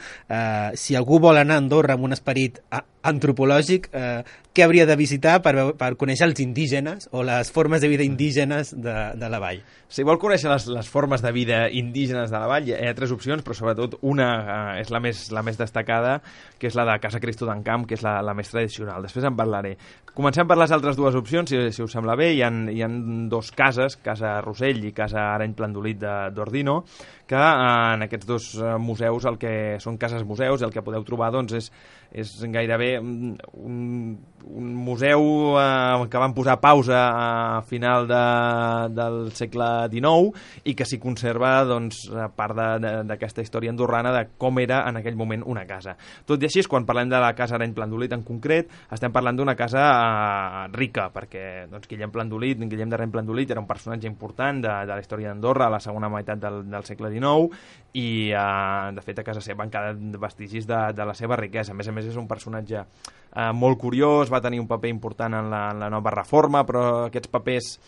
si algú vol anar a Andorra amb un esperit antropològic, què hauria de visitar per conèixer els indígenes o les formes de vida indígenes de la vall. Si vol conèixer les formes de vida indígenes de la vall, hi ha 3 opcions, però sobretot una és la més destacada, que és la de Casa Cristo d'Encamp, que és la més tradicional. Després en parlaré. Comencem per les altres 2 opcions, si us sembla bé. Hi ha 2 cases, Casa Rossell i Casa Areny Plandolit d'Ordino, que en aquests 2 museus, el que són cases museus, el que podeu trobar doncs, és gairebé un museu que van posar pausa a final del segle XIX, i que s'hi conserva doncs, part d'aquesta història andorrana de com era en aquell moment una casa. Tot i així, quan parlem de la Casa Areny Plandolit en concret, estem parlant d'una casa rica, perquè doncs, Guillem d'Areny Plandolit era un personatge important de la història d'Andorra a la segona meitat del segle XIX, i de fet a casa seva han quedat vestigis de la seva riquesa. A més és un personatge molt curiós, va tenir un paper important en la nova reforma, però aquests papers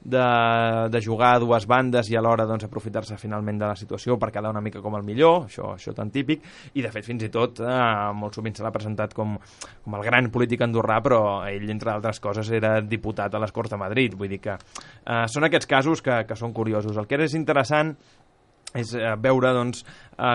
de jugar a 2 bandes i alhora doncs, aprofitar-se finalment de la situació per quedar una mica com el millor, això tan típic, i de fet fins i tot molt sovint se l'ha presentat com el gran polític andorrà, però ell, entre altres coses, era diputat a les Corts de Madrid. Vull dir que són aquests casos que són curiosos. El que és interessant és veure doncs,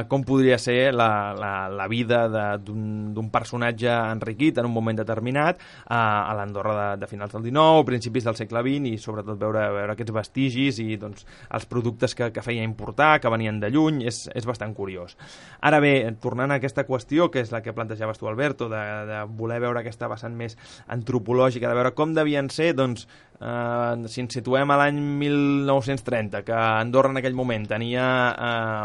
com podria ser la vida d'un personatge enriquit en un moment determinat a l'Andorra de finals del XIX, principis del segle XX, i sobretot veure aquests vestigis i doncs, els productes que feia importar, que venien de lluny. És bastant curiós. Ara bé, tornant a aquesta qüestió, que és la que plantejaves tu, Alberto, de voler veure aquesta vessant més antropològica, de veure com devien ser, doncs, si ens situem a l'any 1930, que Andorra en aquell moment tenia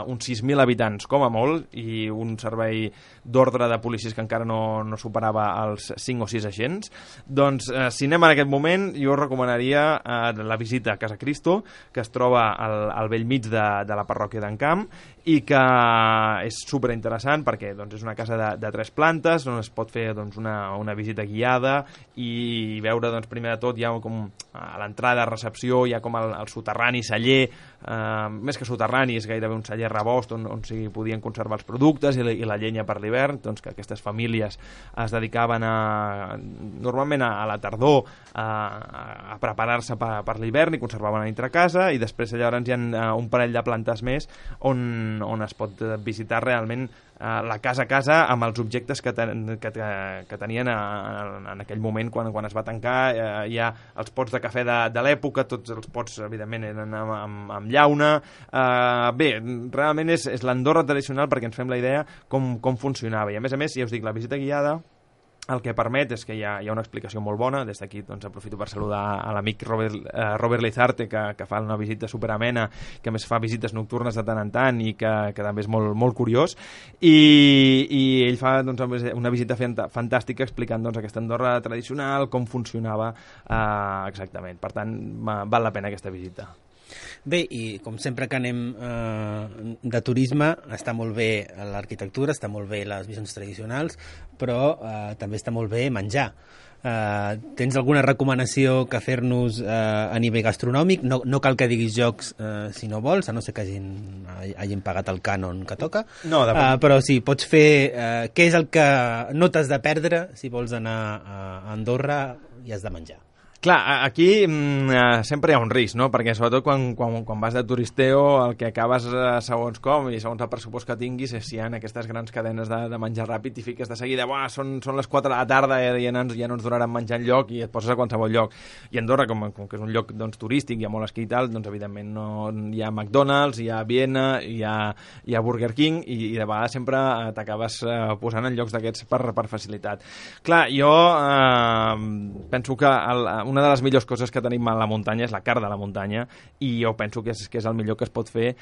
uns 6.000 habitants com a molt, i un servei d'ordre de policies que encara no superava els 5 o 6 agents, doncs si anem en aquest moment, jo recomanaria la visita a Casa Cristo, que es troba al bell mig de la parròquia d'Encamp, i que és superinteressant perquè doncs, és una casa de 3 plantes on es pot fer doncs, una visita guiada i veure, doncs, primer de tot, hi ha com a l'entrada, recepció, hi ha com el soterrani celler, més que soterrani, és gairebé un celler rebost on s'hi podien conservar els productes i la llenya per l'hivern, doncs que aquestes famílies es dedicaven normalment a la tardor a preparar-se per l'hivern i conservaven a dintre casa, i després llavors hi ha un parell de plantes més on es pot visitar realment la casa a casa amb els objectes que tenien en aquell moment quan es va tancar. Hi ha els pots de cafè de l'època, tots els pots evidentment eren amb llauna. Bé, realment és l'Andorra tradicional perquè ens fem la idea com funcionava, i a més, ja us dic, la visita guiada el que permet és que hi ha una explicació molt bona. Des d'aquí doncs, aprofito per saludar a l'amic Robert Lizarte, que fa una visita superamena, que a més fa visites nocturnes de tant en tant i que també és molt, molt curiós, i ell fa doncs, una visita fantàstica explicant doncs, aquesta Andorra tradicional, com funcionava exactament. Per tant, val la pena aquesta visita. Bé, i com sempre que anem de turisme, està molt bé l'arquitectura, està molt bé les visions tradicionals, però també està molt bé menjar. Tens alguna recomanació que fer-nos a nivell gastronòmic? No cal que diguis jocs si no vols, a no ser que hagin pagat el cànon que toca. No, però sí, pots fer què és el que no t'has de perdre si vols anar a Andorra i has de menjar. Clar, aquí sempre hi ha un risc, no? Perquè sobretot quan vas de turisteo el que acabes segons com i segons el pressupost que tinguis és si hi ha aquestes grans cadenes de menjar ràpid i fiques de seguida, són les 4 de la tarda i ja no ens donaran menjar enlloc i et poses a qualsevol lloc. I Andorra, com que és un lloc doncs, turístic, hi ha molt esquí i tal, doncs evidentment hi ha McDonald's, hi ha Viena, hi ha Burger King i de vegades sempre t'acabes posant en llocs d'aquests per facilitat. Clar, jo penso que una de les millors coses que tenim a la muntanya és la carn de la muntanya, i jo penso que és el millor que es pot fer,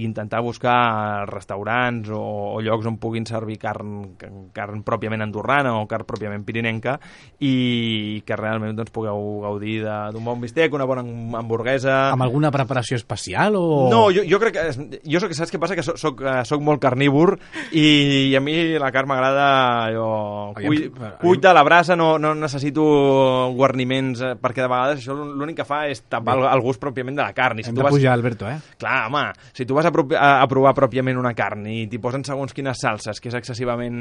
intentar buscar restaurants o llocs on puguin servir carn pròpiament andorrana o carn pròpiament pirinenca, i que realment doncs, pugueu gaudir d'un bon bistec, una bona hamburguesa. Amb alguna preparació especial? O... No, jo crec que... saps què passa? Que soc molt carnívor i a mi la carn m'agrada cuita a la brasa, no necessito guarniments, perquè de vegades això l'únic que fa és tapar el gust pròpiament de la carn. Hem de pujar, Alberto, Clar, home, si tu vas a provar pròpiament una carn i t'hi posen segons quines salses, que és excessivament...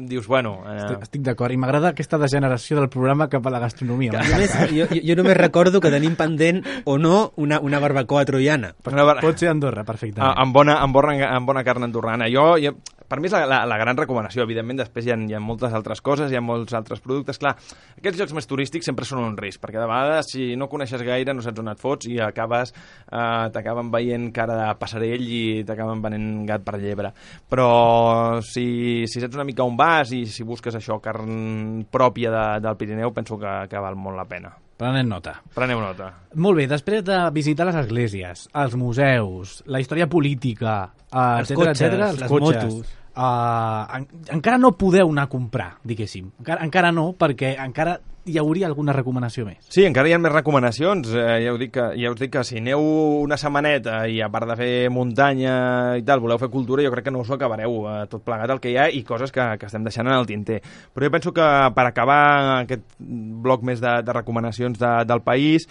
dius, bueno... Estic d'acord, i m'agrada aquesta degeneració del programa cap a la gastronomia. Jo només recordo que tenim pendent o no una barbacoa troiana. Pot ser Andorra, perfectament. Amb bona carn andorrana. Per mi és la gran recomanació. Evidentment, després hi ha moltes altres coses, hi ha molts altres productes. Clar, aquests llocs més turístics sempre són un risc, perquè de vegades, si no coneixes gaire, no saps on et fots i t'acaben veient cara de passarell i t'acaben venent gat per llebre. Però si saps una mica on vas i si busques això, carn pròpia del Pirineu, penso que val molt la pena. Preneu nota. Molt bé, després de visitar les esglésies, els museus, la història política, els cotxes, les motos... encara no podeu anar a comprar, diguéssim. Encara no, perquè encara hi hauria alguna recomanació més. Sí, encara hi ha més recomanacions. Ja us dic que si aneu una setmaneta i a part de fer muntanya i tal, voleu fer cultura, jo crec que no us ho acabareu tot plegat el que hi ha i coses que estem deixant en el tinter. Però jo penso que per acabar aquest bloc més de recomanacions del país,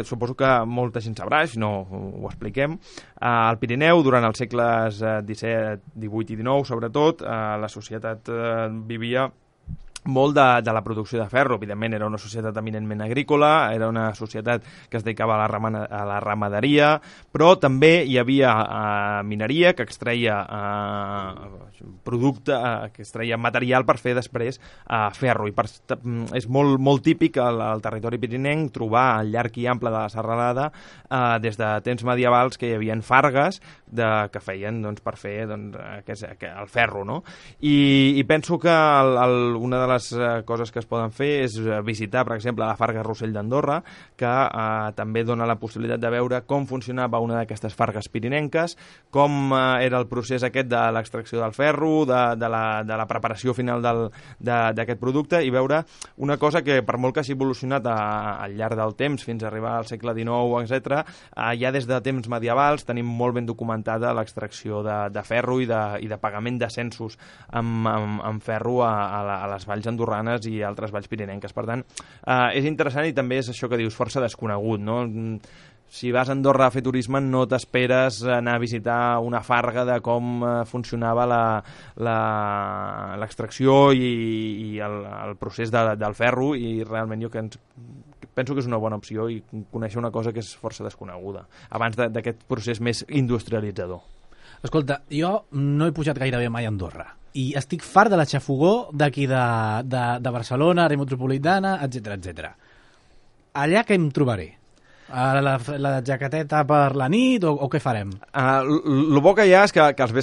suposo que molta gent sabrà, si no ho expliquem, al Pirineu, durant els segles XVII, XVIII i XIX, sobretot, la societat vivia molt de la producció de ferro. Evidentment era una societat eminentment agrícola, era una societat que es dedicava a la ramaderia, però també hi havia mineria que extreia producte, que extreia material per fer després ferro. I és molt típic al territori pirinenc trobar al llarg i ample de la serralada des de temps medievals que hi havia fargues que feien per fer el ferro, no? I penso que una de les coses que es poden fer és visitar, per exemple, la Farga Rossell d'Andorra, que també dona la possibilitat de veure com funcionava una d'aquestes fargues pirinenques, com era el procés aquest de l'extracció del ferro, de la preparació final d'aquest producte, i veure una cosa que, per molt que hagi evolucionat al llarg del temps, fins a arribar al segle XIX, etc., ja des de temps medievals tenim molt ben documentada l'extracció de ferro i de pagament de censos amb ferro a les valls andorranes i altres valls pirinenques. Per tant, és interessant i també és això que dius, força desconegut, no? si vas a Andorra a fer turisme no t'esperes anar a visitar una farga de com funcionava l'extracció i el procés del ferro, i realment jo penso que és una bona opció i conèixer una cosa que és força desconeguda abans d'aquest procés més industrialitzador. Escolta, jo no he pujat gairebé mai a Andorra i estic fart de la xafogó d'aquí de Barcelona, àrea metropolitana, etc. Allà què em trobaré? La jaqueteta per la nit o què farem? El bo que hi ha és que als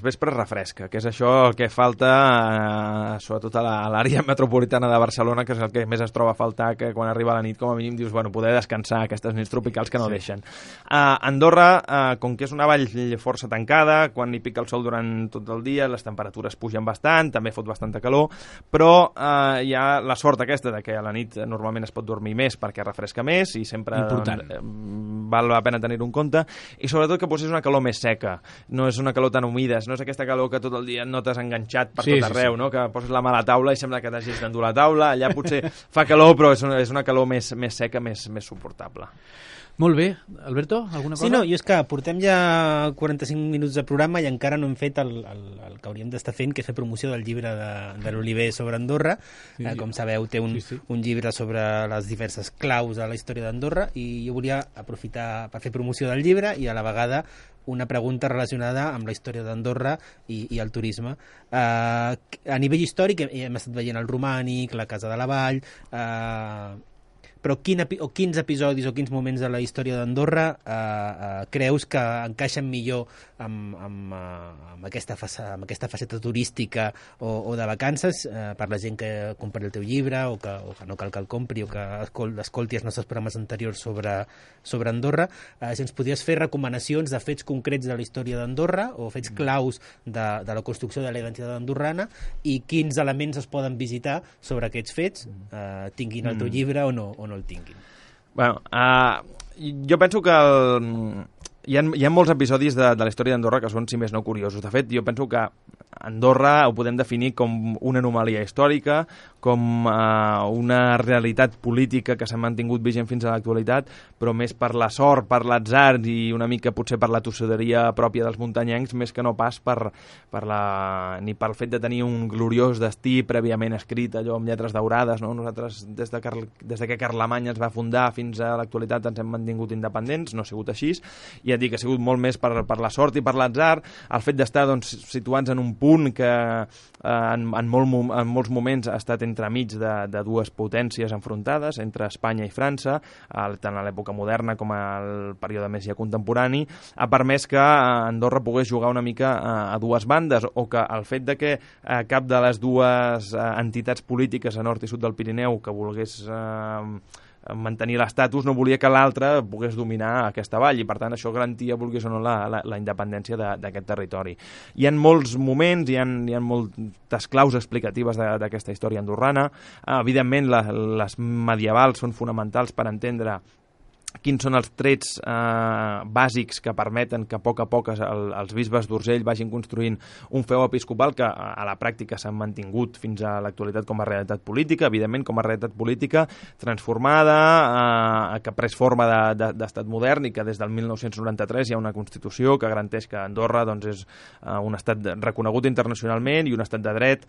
vespres refresca, que és això el que falta sobretot a l'àrea metropolitana de Barcelona, que és el que més es troba a faltar, que quan arriba la nit com a mínim dius, bueno, poder descansar aquestes nits tropicals que no deixen. Andorra, com que és una vall força tancada, quan hi pica el sol durant tot el dia, les temperatures pugen bastant, també fot bastanta calor, però hi ha la sort aquesta de que a la nit normalment es pot dormir més perquè refresca més i sempre val la pena tenir-ho en compte, i sobretot que potser és una calor més seca, no és una calor tan humida, no és aquesta calor que tot el dia et notes enganxat per tot arreu, no? Que poses la mà a la taula i sembla que t'hagis d'endur la taula, allà potser fa calor però és una calor més seca, més suportable. Molt bé. Alberto, alguna cosa? Sí, no, i és que portem ja 45 minuts de programa i encara no hem fet el que hauríem d'estar fent, que és fer promoció del llibre de l'Oliver sobre Andorra. Com sabeu, té un llibre sobre les diverses claus de la història d'Andorra, i jo volia aprofitar per fer promoció del llibre i a la vegada una pregunta relacionada amb la història d'Andorra i el turisme. A nivell històric hem estat veient el romànic, la Casa de la Vall, però quins episodis o quins moments de la història d'Andorra creus que encaixen millor amb aquesta faceta turística o de vacances per la gent que compri el teu llibre o que no cal que el compri o que escolti els nostres programes anteriors sobre Andorra? Si ens podries fer recomanacions de fets concrets de la història d'Andorra o fets claus de la construcció de la identitat andorrana, i quins elements es poden visitar sobre aquests fets, tinguin el teu llibre o no el tinguin. Bueno, jo penso que hi ha molts episodis de la història d'Andorra que són, si més no, curiosos. De fet, jo penso que Andorra ho podem definir com una anomalia històrica, com una realitat política que s'ha mantingut vigent fins a l'actualitat, però més per la sort, per l'atzar i una mica potser per la tossuderia pròpia dels muntanyencs, més que no pas ni pel fet de tenir un gloriós destí prèviament escrit, allò amb lletres daurades, no? Nosaltres, des que Carlemany es va fundar fins a l'actualitat, ens hem mantingut independents, no ha sigut així, i ja dic, ha sigut molt més per la sort i per l'atzar, el fet d'estar situats en un punt que en molts moments ha estat entremig de dues potències enfrontades, entre Espanya i França, tant a l'època moderna com al període més ja contemporani, ha permès que Andorra pogués jugar una mica a dues bandes, o que el fet de que cap de les dues entitats polítiques a nord i sud del Pirineu que volgués mantenir l'estatus no volia que l'altre pogués dominar aquesta vall, i per tant això garantia, vulguis o no, la independència d'aquest territori. Hi ha molts moments, hi ha moltes claus explicatives d'aquesta història andorrana. Evidentment, les medievals són fonamentals per entendre quins són els trets bàsics que permeten que a poc els bisbes d'Urgell vagin construint un feu episcopal que a la pràctica s'han mantingut fins a l'actualitat com a realitat política, evidentment com a realitat política transformada, que ha pres forma d'estat modern, i que des del 1993 hi ha una Constitució que garanteix que Andorra és un estat reconegut internacionalment i un estat de dret,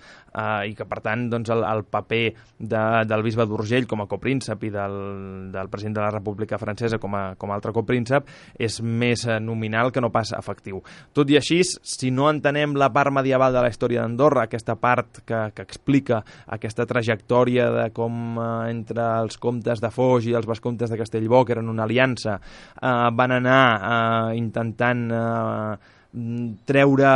i que per tant el paper del bisbe d'Urgell com a copríncep i del president de la República Francesa com a altre copríncep és més nominal que no pas efectiu. Tot i així, si no entenem la part medieval de la història d'Andorra, aquesta part que explica aquesta trajectòria de com entre els comtes de Foix i els vescomtes de Castellbò, que eren una aliança, van anar intentant treure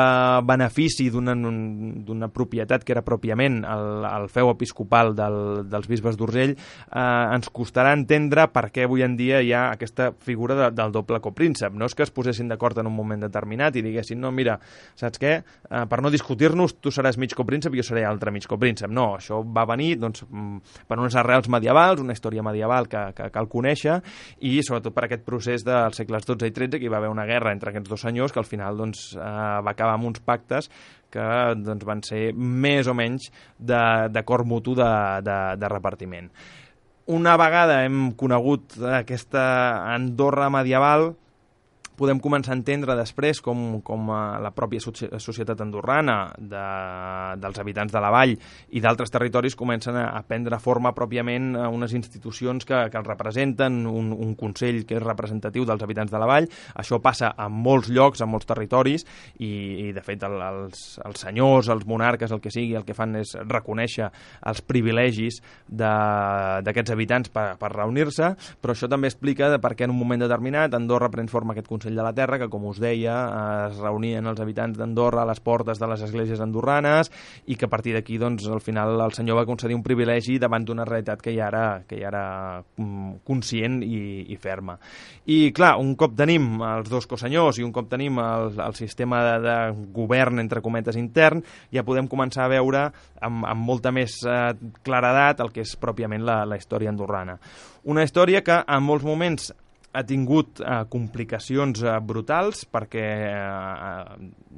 benefici d'una propietat que era pròpiament el feu episcopal dels bisbes d'Urgell, ens costarà entendre per què avui en dia hi ha aquesta figura del doble copríncep. No és que es posessin d'acord en un moment determinat i diguessin, no, mira, saps què? Per no discutir-nos, tu seràs mig copríncep i jo seré altre mig copríncep. No, això va venir per unes arrels medievals, una història medieval que cal conèixer, i sobretot per aquest procés dels segles XII i XIII, que hi va haver una guerra entre aquests dos senyors que al final va acabar amb uns pactes que van ser més o menys d'acord mutu de repartiment. una vegada hem conegut aquesta Andorra medieval, podem començar a entendre després com la pròpia societat andorrana dels habitants de la vall i d'altres territoris comencen a prendre forma pròpiament unes institucions que els representen, un consell que és representatiu dels habitants de la vall. Això passa en molts llocs, en molts territoris, i de fet els senyors, els monarques, el que sigui, el que fan és reconèixer els privilegis d'aquests habitants per reunir-se, però això també explica per què en un moment determinat Andorra pren forma aquest Consell de la Terra, que, com us deia, es reunien els habitants d'Andorra a les portes de les esglésies andorranes i que a partir d'aquí, doncs, al final el senyor va concedir un privilegi davant d'una realitat que ja era conscient i ferma. I, clar, un cop tenim els dos cosenyors i un cop tenim el sistema de govern, entre cometes, intern, ja podem començar a veure amb molta més claredat el que és pròpiament la història andorrana. Una història que en molts moments ha tingut complicacions brutals perquè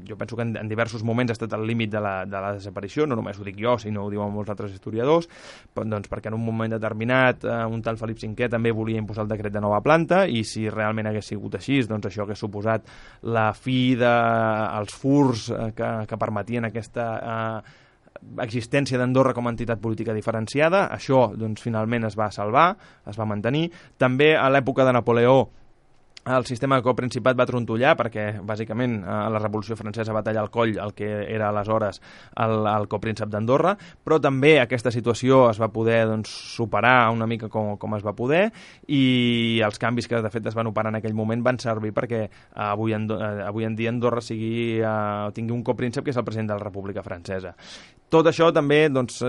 jo penso que en diversos moments ha estat al límit de la desaparició, no només ho dic jo, sinó ho diuen molts altres historiadors, doncs perquè en un moment determinat un tal Felip V també volia imposar el decret de nova planta i si realment hagués sigut així, doncs això hagués suposat la fi dels furs que permetien aquesta existència d'Andorra com a entitat política diferenciada. Això, doncs, finalment es va salvar, es va mantenir. També a l'època de Napoleó el sistema de coprincipat va trontollar perquè, bàsicament, la Revolució Francesa va tallar el coll al que era aleshores el copríncep d'Andorra, però també aquesta situació es va poder, doncs, superar una mica com es va poder i els canvis que, de fet, es van operar en aquell moment van servir perquè avui en dia Andorra tingui un copríncep que és el president de la República Francesa. Tot això també, doncs,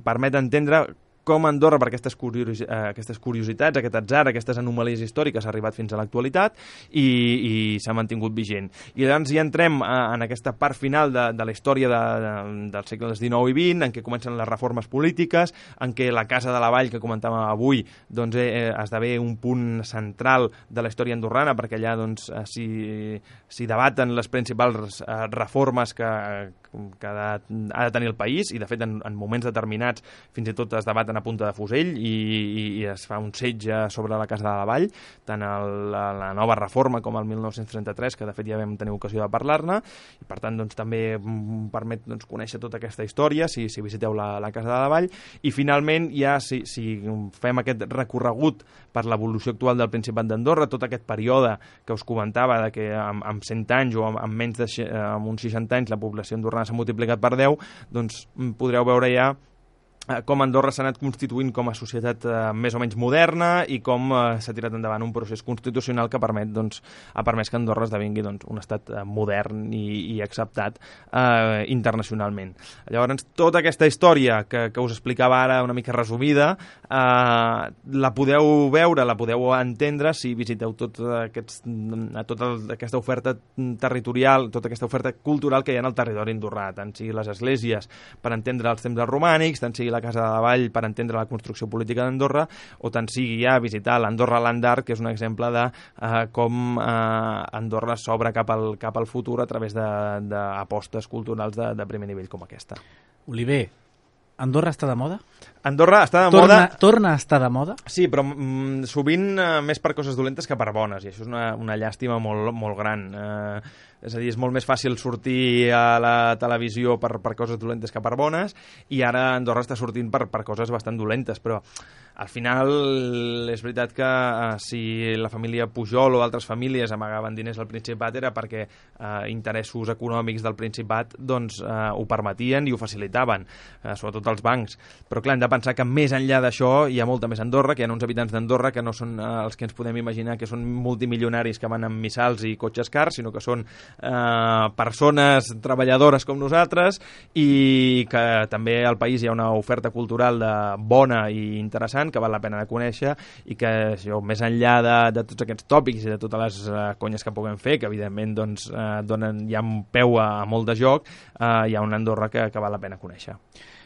permet entendre com Andorra, per aquestes curiositats, aquest atzar, aquestes anomalies històriques, ha arribat fins a l'actualitat i s'ha mantingut vigent. I llavors ja entrem en aquesta part final de la història dels segles XIX i XX, en què comencen les reformes polítiques, en què la Casa de la Vall, que comentàvem avui, doncs, esdevé un punt central de la història andorrana, perquè allà doncs, s'hi debaten les principals reformes que ha de tenir el país, i de fet en moments determinats fins i tot es debaten a punta de fusell i es fa un setge sobre la Casa de la Vall, tant la nova reforma com el 1933, que de fet ja vam tenir ocasió de parlar-ne, i per tant doncs, també permet conèixer tota aquesta història si visiteu la Casa de la Vall. I finalment ja si fem aquest recorregut per l'evolució actual del Principat d'Andorra, tot aquest període que us comentava de que amb 100 anys o amb menys amb uns 60 anys la població andorrana s'ha multiplicat per 10, doncs podreu veure ja com Andorra s'ha anat constituint com a societat més o menys moderna i com s'ha tirat endavant un procés constitucional que ha permès que Andorra esdevingui un estat modern i acceptat internacionalment. Llavors, tota aquesta història que us explicava ara una mica resumida, la podeu veure, la podeu entendre si visiteu tota aquesta oferta territorial, tota aquesta oferta cultural que hi ha en el territori andorrà, tant sigui les esglésies per entendre els temples romànics, tant sigui la Casa de la Vall per entendre la construcció política d'Andorra, o tant sigui ja visitar l'Andorra Land Art, que és un exemple de com Andorra s'obre cap al futur a través d'apostes culturals de primer nivell com aquesta. Oliver, Andorra està de moda? Andorra està de moda... Torna a estar de moda? Sí, però sovint més per coses dolentes que per bones, i això és una llàstima molt, molt gran. És a dir, és molt més fàcil sortir a la televisió per coses dolentes que per bones, i ara Andorra està sortint per coses bastant dolentes, però al final és veritat que si la família Pujol o altres famílies amagaven diners al Principat era perquè interessos econòmics del Principat doncs ho permetien i ho facilitaven, sobretot els bancs. Però clar, hem de pensar que més enllà d'això hi ha molta més Andorra, que hi ha uns habitants d'Andorra que no són els que ens podem imaginar que són multimilionaris que van amb missals i cotxes cars, sinó que són persones treballadores com nosaltres, i que també al país hi ha una oferta cultural bona i interessant que val la pena de conèixer, i que això, més enllà de tots aquests tòpics i de totes les conyes que puguem fer, que evidentment hi ha un peu a molt de joc, hi ha una Andorra que val la pena conèixer.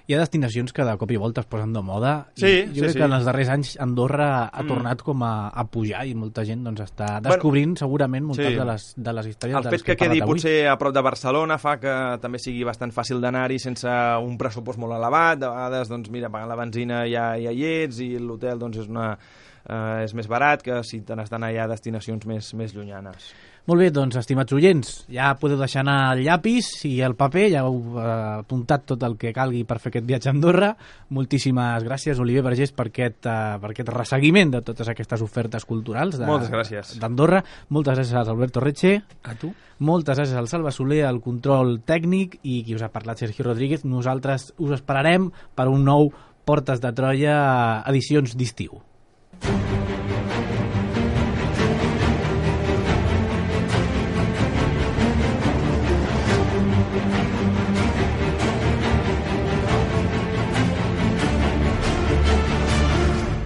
Hi ha destinacions que de cop i volta es posen de moda. Sí, jo crec que en els darrers anys Andorra ha tornat com a pujar i molta gent doncs, està descobrint segurament moltes de les històries el fet que quedi potser a prop de Barcelona fa que també sigui bastant fàcil d'anar-hi sense un pressupost molt elevat. De vegades, doncs, mira, pagant la benzina ja hi ets i l'hotel doncs, és més barat que si te n'has d'anar ja a destinacions més llunyanes. Molt bé, doncs, estimats oients, ja podeu deixar anar el llapis i el paper, ja heu apuntat tot el que calgui per fer aquest viatge a Andorra. Moltíssimes gràcies, Oliver Vergés, per aquest resseguiment de totes aquestes ofertes culturals d'Andorra. Moltes gràcies a Alberto Reche. A tu. Moltes gràcies al Salva Soler, al control tècnic, i qui us ha parlat, Sergio Rodríguez. Nosaltres us esperarem per un nou Portes de Troia edicions d'estiu.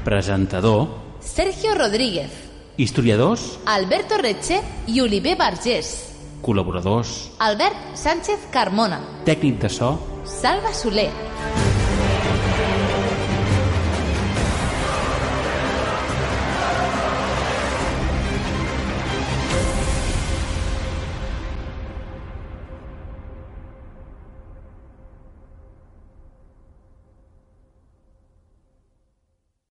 Presentador Sergio Rodríguez. Historiadors Alberto Reche i Oliver Vergés. Col·laboradors Albert Sánchez Carmona. Tècnic de so Salva Soler.